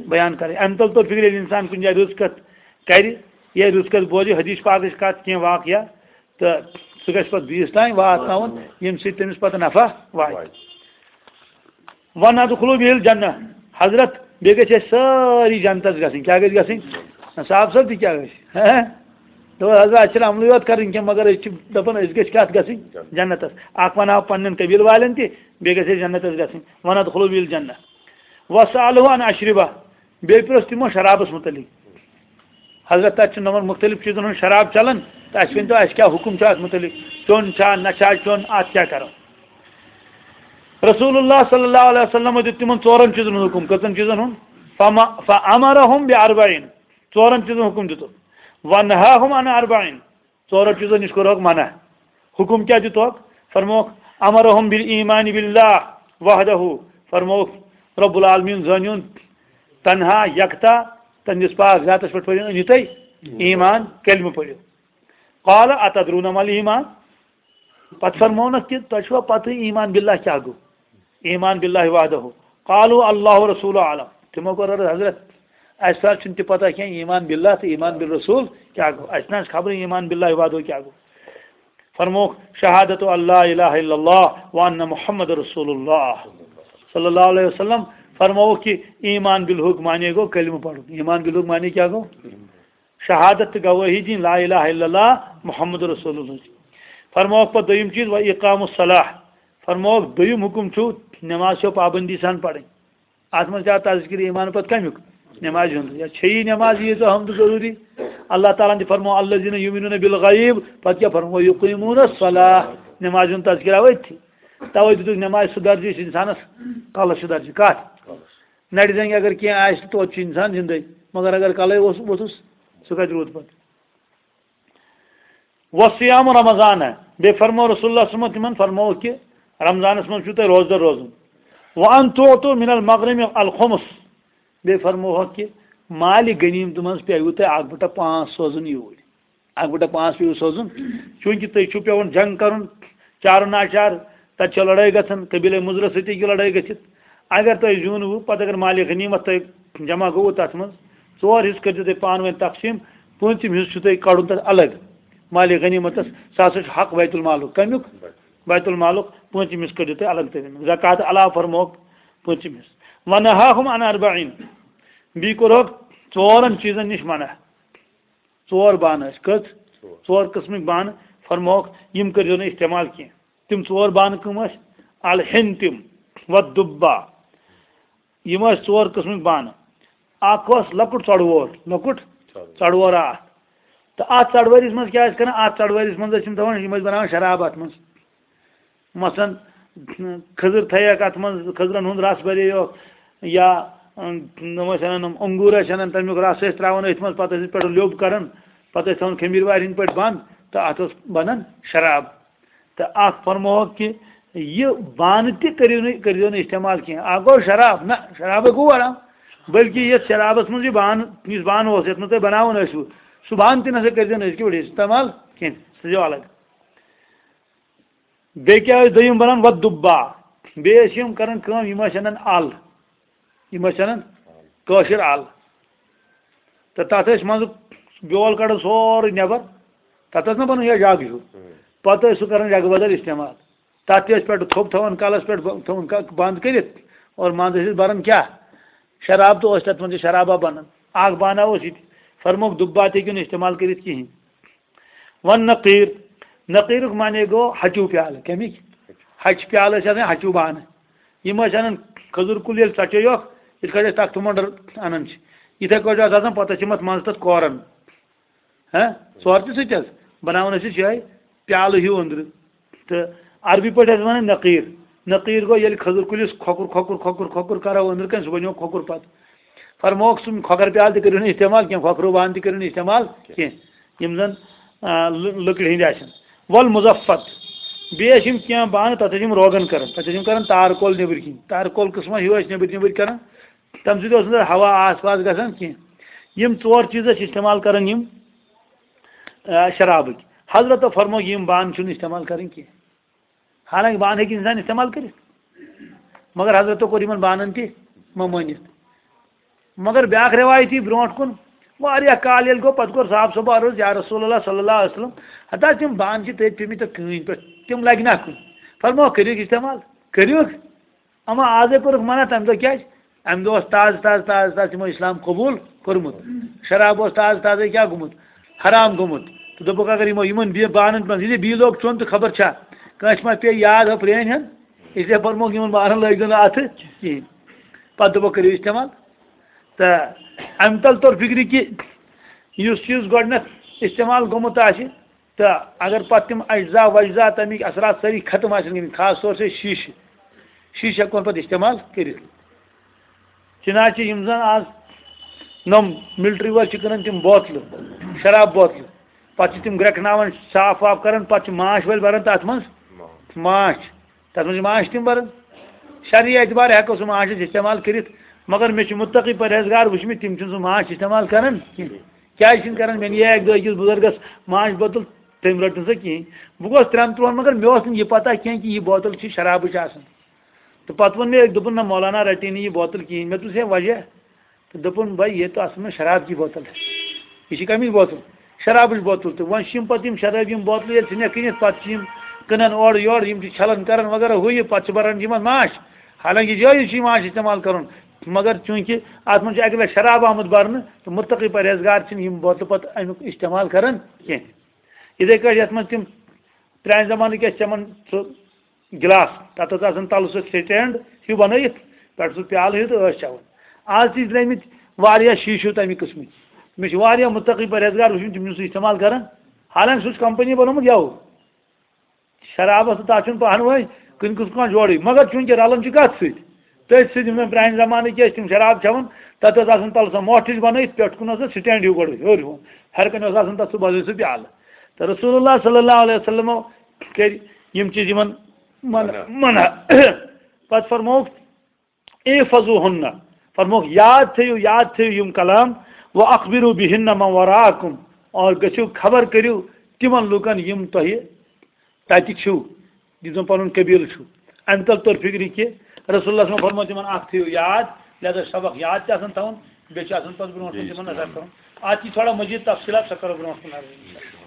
بیان کرٕنۍ۔ اَمہِ تل توٚر فِکرِ، ییٚلہِ اِنسان کُنہِ جایہِ رٕژ کتھ کرِ یا رٕژ کتھ بوزِ، حدیث پاکٕچ کتھ، کینٛہہ واقعہ، تہٕ سُہ گژھِ پتہٕ بیٚیِس تام واتناوُن، ییٚمہِ سۭتۍ تٔمِس پتہٕ نفع واتہِ۔ واتہِ۔ "وندخلوا به الجنہ۔" حضرت، بیٚیہِ گژھِ اَسہِ سٲری جنتس گژھٕنۍ۔ کیٛاہ گژھِ گژھٕنۍ؟ صاحب صٲب تہِ کیٛاہ گژھِ؟ ہہ؟ دوٚپُن، "حضرت، اَسہِ چھِنہٕ عملٕے یوت کَرٕنۍ کینٛہہ، مگر أسۍ چھِ دَپان، أسۍ گٔژھۍ کَتھ گژھٕنۍ؟ جنتس۔ اَکھ وَنہٕ ہاو پنٛنٮ۪ن قبیٖلہٕ والٮ۪ن تہِ، بیٚیہِ گژھِ اَسہِ جنتس گژھٕنۍ۔ وندخلوا به الجنہ۔ وسألوه عن اشربہ۔" بیٚیہِ پرٛژھ تِمو شرابس مُتعلق۔ حضرت، تَتہِ چھُ نوٚمَن مُختٔلِف چیٖزَن ہُنٛد شراب چَلان، تہٕ اَسہِ ؤنۍ تو، اَسہِ کیٛاہ حُکُم چھُ اَتھ مُتعلِق؟ چیوٚن چھا، نہ چھا چیوٚن، اَتھ کیٛاہ کَرو؟ رسول اللہ صلی اللہ علیہ وسلم دیُت تِمَن ژورَن چیٖزَن ہُنٛد حُکُم۔ کٔژَن چیٖزَن ہُنٛد؟ فما-، فأمرهم بأربعین۔ ژورَن چیٖزَن حُکُم دیُتُکھ۔ ونہاهم عن اربعین۔ ژورو چیٖزو نِش کوٚرہوکھ منع۔ حُکُم کیٛاہ دیُتہوکھ؟ فرمووُکھ، "امرهم بالایمان باللہ وحدہ۔" فرمووُکھ، رب العالمین زٲنِوُن تنہا، یکتا، تٔہنٛدِس پاک ذاتس پٮ۪ٹھ پٔرِو، أنِو تُہۍ ایمان، کلمہٕ پٔرِو۔ قال اتدرون ما الایمان؟ پتہٕ فرموونکھ کہِ تۄہہِ چھُوا پتہٕ ایمان باللہ کیٛاہ گوٚو؟ ایمان باللہ وحدہ۔ قالوا اللہ ورسولہ اعلم۔ تِمو کوٚر عرض، حضرت، اَسہِ سا چھُنہٕ تہِ پتہ کینٛہہ ایمان باللہ تہٕ ایمان بالرسول کیٛاہ گوٚو۔ اَسہِ نہ حظ خبرٕے ایمان باللہ وحدہ کیٛاہ گوٚو۔ فرمووُکھ، شہادت ان لا الہ الا اللہ وان محمد رسول اللہ۔ صلی اللہ علیہ وسلم فرمووُکھ کہ ایمان بالحق معنی گوٚو کلمہٕ پرُن۔ ایمان بالحق معنی کیٛاہ گوٚو؟ شہادت تہٕ گوٲہی دِنۍ لا الہ الا اللہ محمد رسول اللہ۔ فرمووُکھ پتہٕ دوٚیِم چیٖز، و اقام الصلاح۔ فرمووُکھ دوٚیِم حُکُم چھُ نماز چھو پابندی سان پرٕنۍ۔ اتھ منٛز چھا تذکر ایمان پتہٕ کمیُک؟ نمازِ ہُنٛد۔ یا چھے یہِ نماز ییٖژ اہم تہٕ ضروٗری؟ اللہ تعالیٰ ہن تہِ فرموو، الذین یؤمنون بالغیب، پتہٕ کیٛاہ فرموو؟ یقیمون الصلاح۔ نمازِ ہُنٛد تذکر آو أتھی۔ توے دِتُکھ نمازِ سُہ درجہٕ یُس انسانس کلس چھُ درجہٕ۔ کتھ؟ نرِ زنٛگہِ اگر کینٛہہ آسہِ، توتہِ چھُ انسان زندے، مگر اگر کلے اوس ووٚتھُس، سُہ کتہِ روٗد پتہٕ؟ وصیام رمضان، بیٚیہِ فرموو رسول اللہ صلی اللہ علیہ وسلم تِمن، فرمووُکھ کہِ رمضانس منٛز چھُو تۄہہِ روزدر روزُن۔ وان تعطوا من المغنم الخمس، بیٚیہِ فرمووُکھ کہِ مالِ غنیمتہٕ منٛز پیٚیِوٕ تۄہہِ اکھ بٹہ پانٛژھ سوزُن یوٗرۍ۔ اکھ بٹہ پانٛژھ پیٚیِوٕ سوزُن، چوٗنٛکہِ تۄہہِ چھُو پیٚوان جنگ کرُن، چارٕ ناچار، تتہِ چھےٚ لڑٲے گژھان، قبیلے مضرس سۭتۍ ہیٚکہِ لڑٲے گٔژھِتھ۔ اگر تۄہہِ زیوٗنوٕ، پتہٕ اگر مالِ غنیمت تۄہہِ جمع گوٚوٕ تتھ منٛز، ژور حصہٕ کٔرۍزیو تُہۍ پانہٕ ؤنۍ تقسیٖم، پوٗنٛژِم حصہٕ چھُ تۄہہِ کڑُن تتھ الگ۔ مالِ غنیمتس، سُہ ہسا چھُ حق بیت المالُک۔ کمیُک؟ بیت المالُک۔ پوٗنٛژِم حصہٕ کٔڑِو تُہۍ الگ تٔمۍ۔ زکوٰۃ علاوٕ فرمووُکھ پوٗنٛژِم حصہٕ۔ ونہاہم عن اربعین، بیٚیہِ کوٚرہوکھ ژورن چیٖزن نِش منع۔ ژور بانہٕ ٲسۍ۔ کٔژ؟ ژور۔ ژور قٕسمٕکۍ بانہٕ۔ فرمووُکھ، یِم کٔرۍزیو نہٕ استعمال کینٛہہ۔ تِم ژور بانہٕ کٕم ٲسۍ؟ الحنتم والدبہ۔ یِم ٲسۍ ژور قٕسمٕکۍ بانہٕ۔ اکھ اوس لۄکُٹ ژۄڑٕ وور، لۄکُٹ ژۄڑٕ وور۔ ژۄڑٕ وور اکھ۔ تہٕ اتھ ژۄڑٕ ؤرِس منٛز کیٛاہ ٲسۍ کران؟ اتھ ژۄڑٕ ؤرِس منٛز ٲسۍ یِم تھاوان، یِم ٲسۍ بناوان شراب اتھ منٛز۔ مثلاً، کھٔزٕر تھٲیکھ اتھ منٛز، کھٔزرن ہُنٛد رس برییوکھ، یا، اۭں، یِم ٲسۍ انان، یِم انگوٗر ٲسۍ انان، تمیُک رس ٲسۍ تراوان أتھۍ منٛز، پتہٕ ٲسۍ أسۍ پٮ۪ٹھ لیوٚب کران، پتہٕ ٲسۍ تھاوان خمیٖر وارِ ہٕنٛدۍ پٲٹھۍ بنٛد، تہٕ اتھ اوس بنان شراب۔ تہٕ اکھ فرمووکھ کہِ یہِ بانہٕ تہِ کٔرِو نہٕ، کٔرۍزیو نہٕ استعمال کینٛہہ۔ اکھ گوٚو شراب، نہ، شرابے گوٚو حرام، بلکہِ یتھ شرابس منٛز یہِ بانہٕ، یُس بانہٕ اوس، یتھ منٛز تُہۍ بناوان ٲسِو، سُہ بانہٕ تہِ نسا کٔرۍزیو نہٕ أزکہِ پٮ۪ٹھ استعمال کینٛہہ، سُہ تھٲیزیو الگ۔ بیٚیہِ کیٛاہ ٲسۍ دوٚیِم بنان؟ والدبہ۔ بیٚیہِ ٲسۍ یِم کران کٲم، یِم ٲسۍ انان ال، یِم ٲسۍ انان کٲشِر ال۔ تہٕ تتھ ٲسۍ منٛزٕ بیول کڑان سورُے نٮ۪بر، تتھ ٲس نہ بنان یہِ جگ ہیوٗ۔ پتہٕ ٲسۍ سُہ کران جگہٕ بدل استعمال۔ تتھ تہِ ٲسۍ پٮ۪ٹھٕ تھوٚپ تھاوان کلس پٮ۪ٹھ، ب-، تھاوان ک-، بنٛد کٔرِتھ، اور منٛزٕ ٲسۍ أسۍ بران کیٛاہ؟ شراب۔ تہٕ اوس تتھ منٛز تہِ شرابا بنان۔ اکھ بانہ اوس یہِ تہِ۔ فرمووُکھ دُبہٕ بانہٕ تہِ ہیٚکِو نہٕ استعمال کٔرِتھ کِہینۍ۔ والنقیر، نقیرُک معنی گوٚو ہَچوٗ پیالہٕ۔ کَمِکۍ؟ ہَچہِ پیالہٕ ٲسۍ آسان، ہَچوٗ بانہٕ۔ یِم ٲسۍ اَنان کھٔزٕر کُل ییٚلہِ ژَٹے یوکھ، یِتھ کٲٹھۍ أسۍ تَختہٕ مۄنٛڈَر اَنان چھِ، یِتھَے کٲٹھۍ ٲس آسان، پَتہٕ ٲسۍ یِم اَتھ منٛزٕ تَتھ کوران۔ ہہ؟ ژور تہِ سۭتۍ حظ۔ بَناوان ٲسۍ أسۍ یِہوٚے پیالہٕ ہیوٗ أنٛدرٕ۔ تہٕ عربی پٲٹھۍ ٲسۍ وَنان نقیٖر۔ نقیٖر گوٚو ییٚلہِ کھٔزٕر کُلِس کھۄکُر، کھۄکُر، کھۄکُر، کھۄکُر کَرو أنٛدرٕ کَنہِ، سُہ بَنیو کھۄکُر پَتہٕ۔ فرمووُکھ، سُم کھۄکھر پیالہٕ تہِ کٔرِو نہٕ استعمال کینٛہہ، کھۄکھرو بانہٕ تہِ کٔرِو نہٕ استعمال کینٛہہ، یِم زَن، آ، لٔ-، لٔکرِ ہِنٛدۍ آسن۔ والمزفت، بیٚیہِ ٲسۍ یِم کینٛہہ بانہٕ، تَتھ ٲسۍ یِم روغن کَران، تَتھ ٲسۍ یِم کَران تارکول نیٚبٕرۍ کِنۍ، تارکول قٕسمہ ہیوٗ ٲسۍ نیٚبٕرۍ نیٚبٕرۍ کَران، تَمہِ سۭتۍ اوس نہٕ تَتھ ہوا آس پاس گژھان کینٛہہ۔ یِم ژور چیٖز ٲسۍ استعمال کَران یِم، آ، شرابٕکۍ۔ حضرتو فرموو، یِم بانہٕ چھِنہٕ استعمال کَرٕنۍ کینٛہہ۔ حالانکہ بانہٕ ہیٚکہِ انسان استعمال کٔرِتھ، مگر حضرتو کوٚر یِمن بانن تہِ ممٲنِتھ۔ مگر بیٛاکھ روایت یی برونٛٹھ کُن، واریاہ کال ییٚلہِ گوٚو، پتہٕ کوٚر صاحب صٲبو عرض، یا رسول اللہ صلی اللہ علیہ وسلم، ہتا تِم بانہٕ چھِ تٔتھۍ پیٚمٕتۍ تَتھ کٲنۍ پٮ۪ٹھ، تِم لگہِ نا کُنہِ؟ فرمووُکھ، کٔرِو استعمال، کٔرِو۔ اما آزے کوٚرُکھ منع، تَمہِ دۄہ کیٛازِ؟ اَمہِ دۄہ اوس تازٕ، تازٕ، تازٕ، تازٕ تِمو اِسلام قبوٗل کوٚرمُت، شراب اوس تازٕ، تازَے کیٛاہ گوٚمُت؟ حرام گوٚمُت۔ تہٕ دوٚپُکھ، اگر یِمو، یِمَن بی-، بانَن منٛز یہِ بیٚیہِ لوگ چیوٚن تہٕ خبر چھا کٲنٛسہِ ما پیٚیہِ یاد ہۄ پرٛٲنۍ ہَن، اِسلیے فرمووُکھ، یِمَن بانَن لٲگۍ زیو نہٕ اَتھٕ کِہیٖنۍ۔ پَتہٕ دوٚپُکھ، کٔرِو استعمال۔ تہٕ اَمہِ تَل توٚر فِکرِ کہِ یُس چیٖز گۄڈٕنٮ۪تھ استعمال گوٚمُت آسہِ، تہٕ اگر پتہٕ تِم اجزا وجزا تَمِکۍ اثرات سٲری ختم آسن گٔمٕتۍ، خاص طور سے شیٖشہٕ، شیٖشہٕ ہٮ۪کون پتہٕ استعمال کٔرِتھ۔ چنانچہ یِم زن آز نۄم ملٹری وٲلۍ چھِ کٕنان تِم بوتلہٕ، شراب بوتلہٕ، پتہٕ چھِ تِم گرٛٮ۪کناوان، صاف واف کران، پتہٕ چھِ ماچھ وٲلۍ بران تتھ منٛز ماچھ، تتھ منٛز چھِ ماچھ تِم بران۔ شرعی اعتبار ہٮ۪کو سُہ ماچھ أسۍ استعمال کٔرِتھ، مگر مےٚ چھِ مُتقی پرہیزگار وٕچھمٕتۍ، تِم چھِنہٕ سُہ ماچھ استعمال کران کینٛہہ۔ کیٛازِ چھِنہٕ کران؟ مےٚ نِیے اَکہِ دۄہ أکِس بُزرگَس ماچھ بوتل، تٔمۍ رٔٹ نہٕ سۄ کِہیٖنۍ۔ بہٕ گوس ترٛٮ۪ن ترٛوہَن، مگر مےٚ اوس نہٕ یہِ پَتہ کینٛہہ کہِ یہِ بوتل چھِ شرابٕچ آسان۔ تہٕ پَتہٕ ووٚن مےٚ أکۍ، دوٚپُن، "نہ، مولانا رَٹے نہٕ یہِ بوتل کِہیٖنۍ۔" مےٚ دوٚپُس، "ہے وجہ؟" تہٕ دوٚپُن، "بھائی، یہ تو اصل میں شراب کی بوتل ہے۔" یہِ چھِ کَمِچ بوتل؟ شرابٕچ بوتل۔ تہٕ وۄنۍ چھِ یِم پَتہٕ یِم شراب، یِم بوتلہٕ ییٚلہِ ژھٕنٮ۪کھ کٕنِتھ، پَتہٕ چھِ یِم کٕنان اورٕ یورٕ، یِم چھِ چھَلان کَران وغیرہ ہُہ یہِ، پَتہٕ چھِ بَران یِمَن ماچھ۔ حالانکہ جٲیز چھُ یِوان اَتھ استعمال کَرُن، مگر چوٗنٛکہِ اَتھ منٛز چھُ اَکہِ لَٹہِ شراب آمُت بَرنہٕ، تہٕ مُتقی پرہیزگار چھِنہٕ یِم بوتلہٕ پَتہٕ اَمیُک استعمال کَران کینٛہہ۔ یِتھَے کٲٹھۍ یَتھ منٛز تِم پرٛانہِ زمانٕکۍ ٲسۍ چٮ۪وان سُہ گِلاس، تَتھ اوس آسان تَلہٕ سُہ سٹینڈ ہیوٗ بَنٲیِتھ، پٮ۪ٹھٕ سُہ پیالہٕ ہیوٗ تہٕ ٲسۍ چٮ۪وان۔ آز تہِ چھِ درٛٲمٕتۍ واریاہ شیٖشو تَمہِ قٕسمٕکۍ۔ مےٚ چھِ واریاہ مُتقی پرہیزگار وٕچھمٕتۍ، تِم چھِنہٕ سُہ استعمال کَران، حالانکہ سُہ چھُ کمپنی بَنومُت یَوٕ۔ شرابس تہٕ تَتھ چھُنہٕ پانہٕ ؤنۍ کُنہِ قٕسمُک کانٛہہ جوڑٕے، مگر چوٗنٛکہِ رَلان چھُ کَتھ سۭتۍ؟ تٔتھۍ سۭتۍ۔ یِم زَن پرٛانہِ زمانٕکۍ ٲسۍ، تِم شراب چٮ۪وان، تَتھ ٲس آسان تَلہٕ سۄ مۄٹھ ہِش بَنٲیِتھ، پٮ۪ٹھ کُن ٲس سۄ سٹینڈ ہیوٗ گۄڈٕ ہیوٚر ہیوٚن، ہیٚرِ کَنہِ اوس آسان تَتھ سُہ بَنٲوِتھ سُہ پیالہٕ۔ تہٕ رسول اللہ صلی اللہ علیہ وسلمو کٔرۍ یِم چیٖز یِمَن منع۔ منع۔ پَتہٕ فرمووُکھ، احفظوہن، فرمووُکھ، یاد تھٲیِو، یاد تھٲیِو یِم کلام، و اخبروا بہن من وراءکم، اور گٔژھِو خبر کٔرِو تِمن لوٗکن یِم تۄہہِ تَتہِ چھِو، یُس زَن پَنُن قبیٖلہٕ چھُ۔ اَمہِ تَل توٚر فِکرِ کہِ رسول اللہ صلی اللہ علیہ وسلم فرموو تِمن، اکھ تھٲیِو یاد، لہذا سبق یاد تہِ آسان تھاوُن، بیٚیہِ چھُ آسان پَتہٕ برونٛٹھ کُن تِمن نظر کَرُن۔ اَتھ یی تھوڑا مزید تفصیٖلات، سۄ کَرو برونٛٹھ کُن عرض۔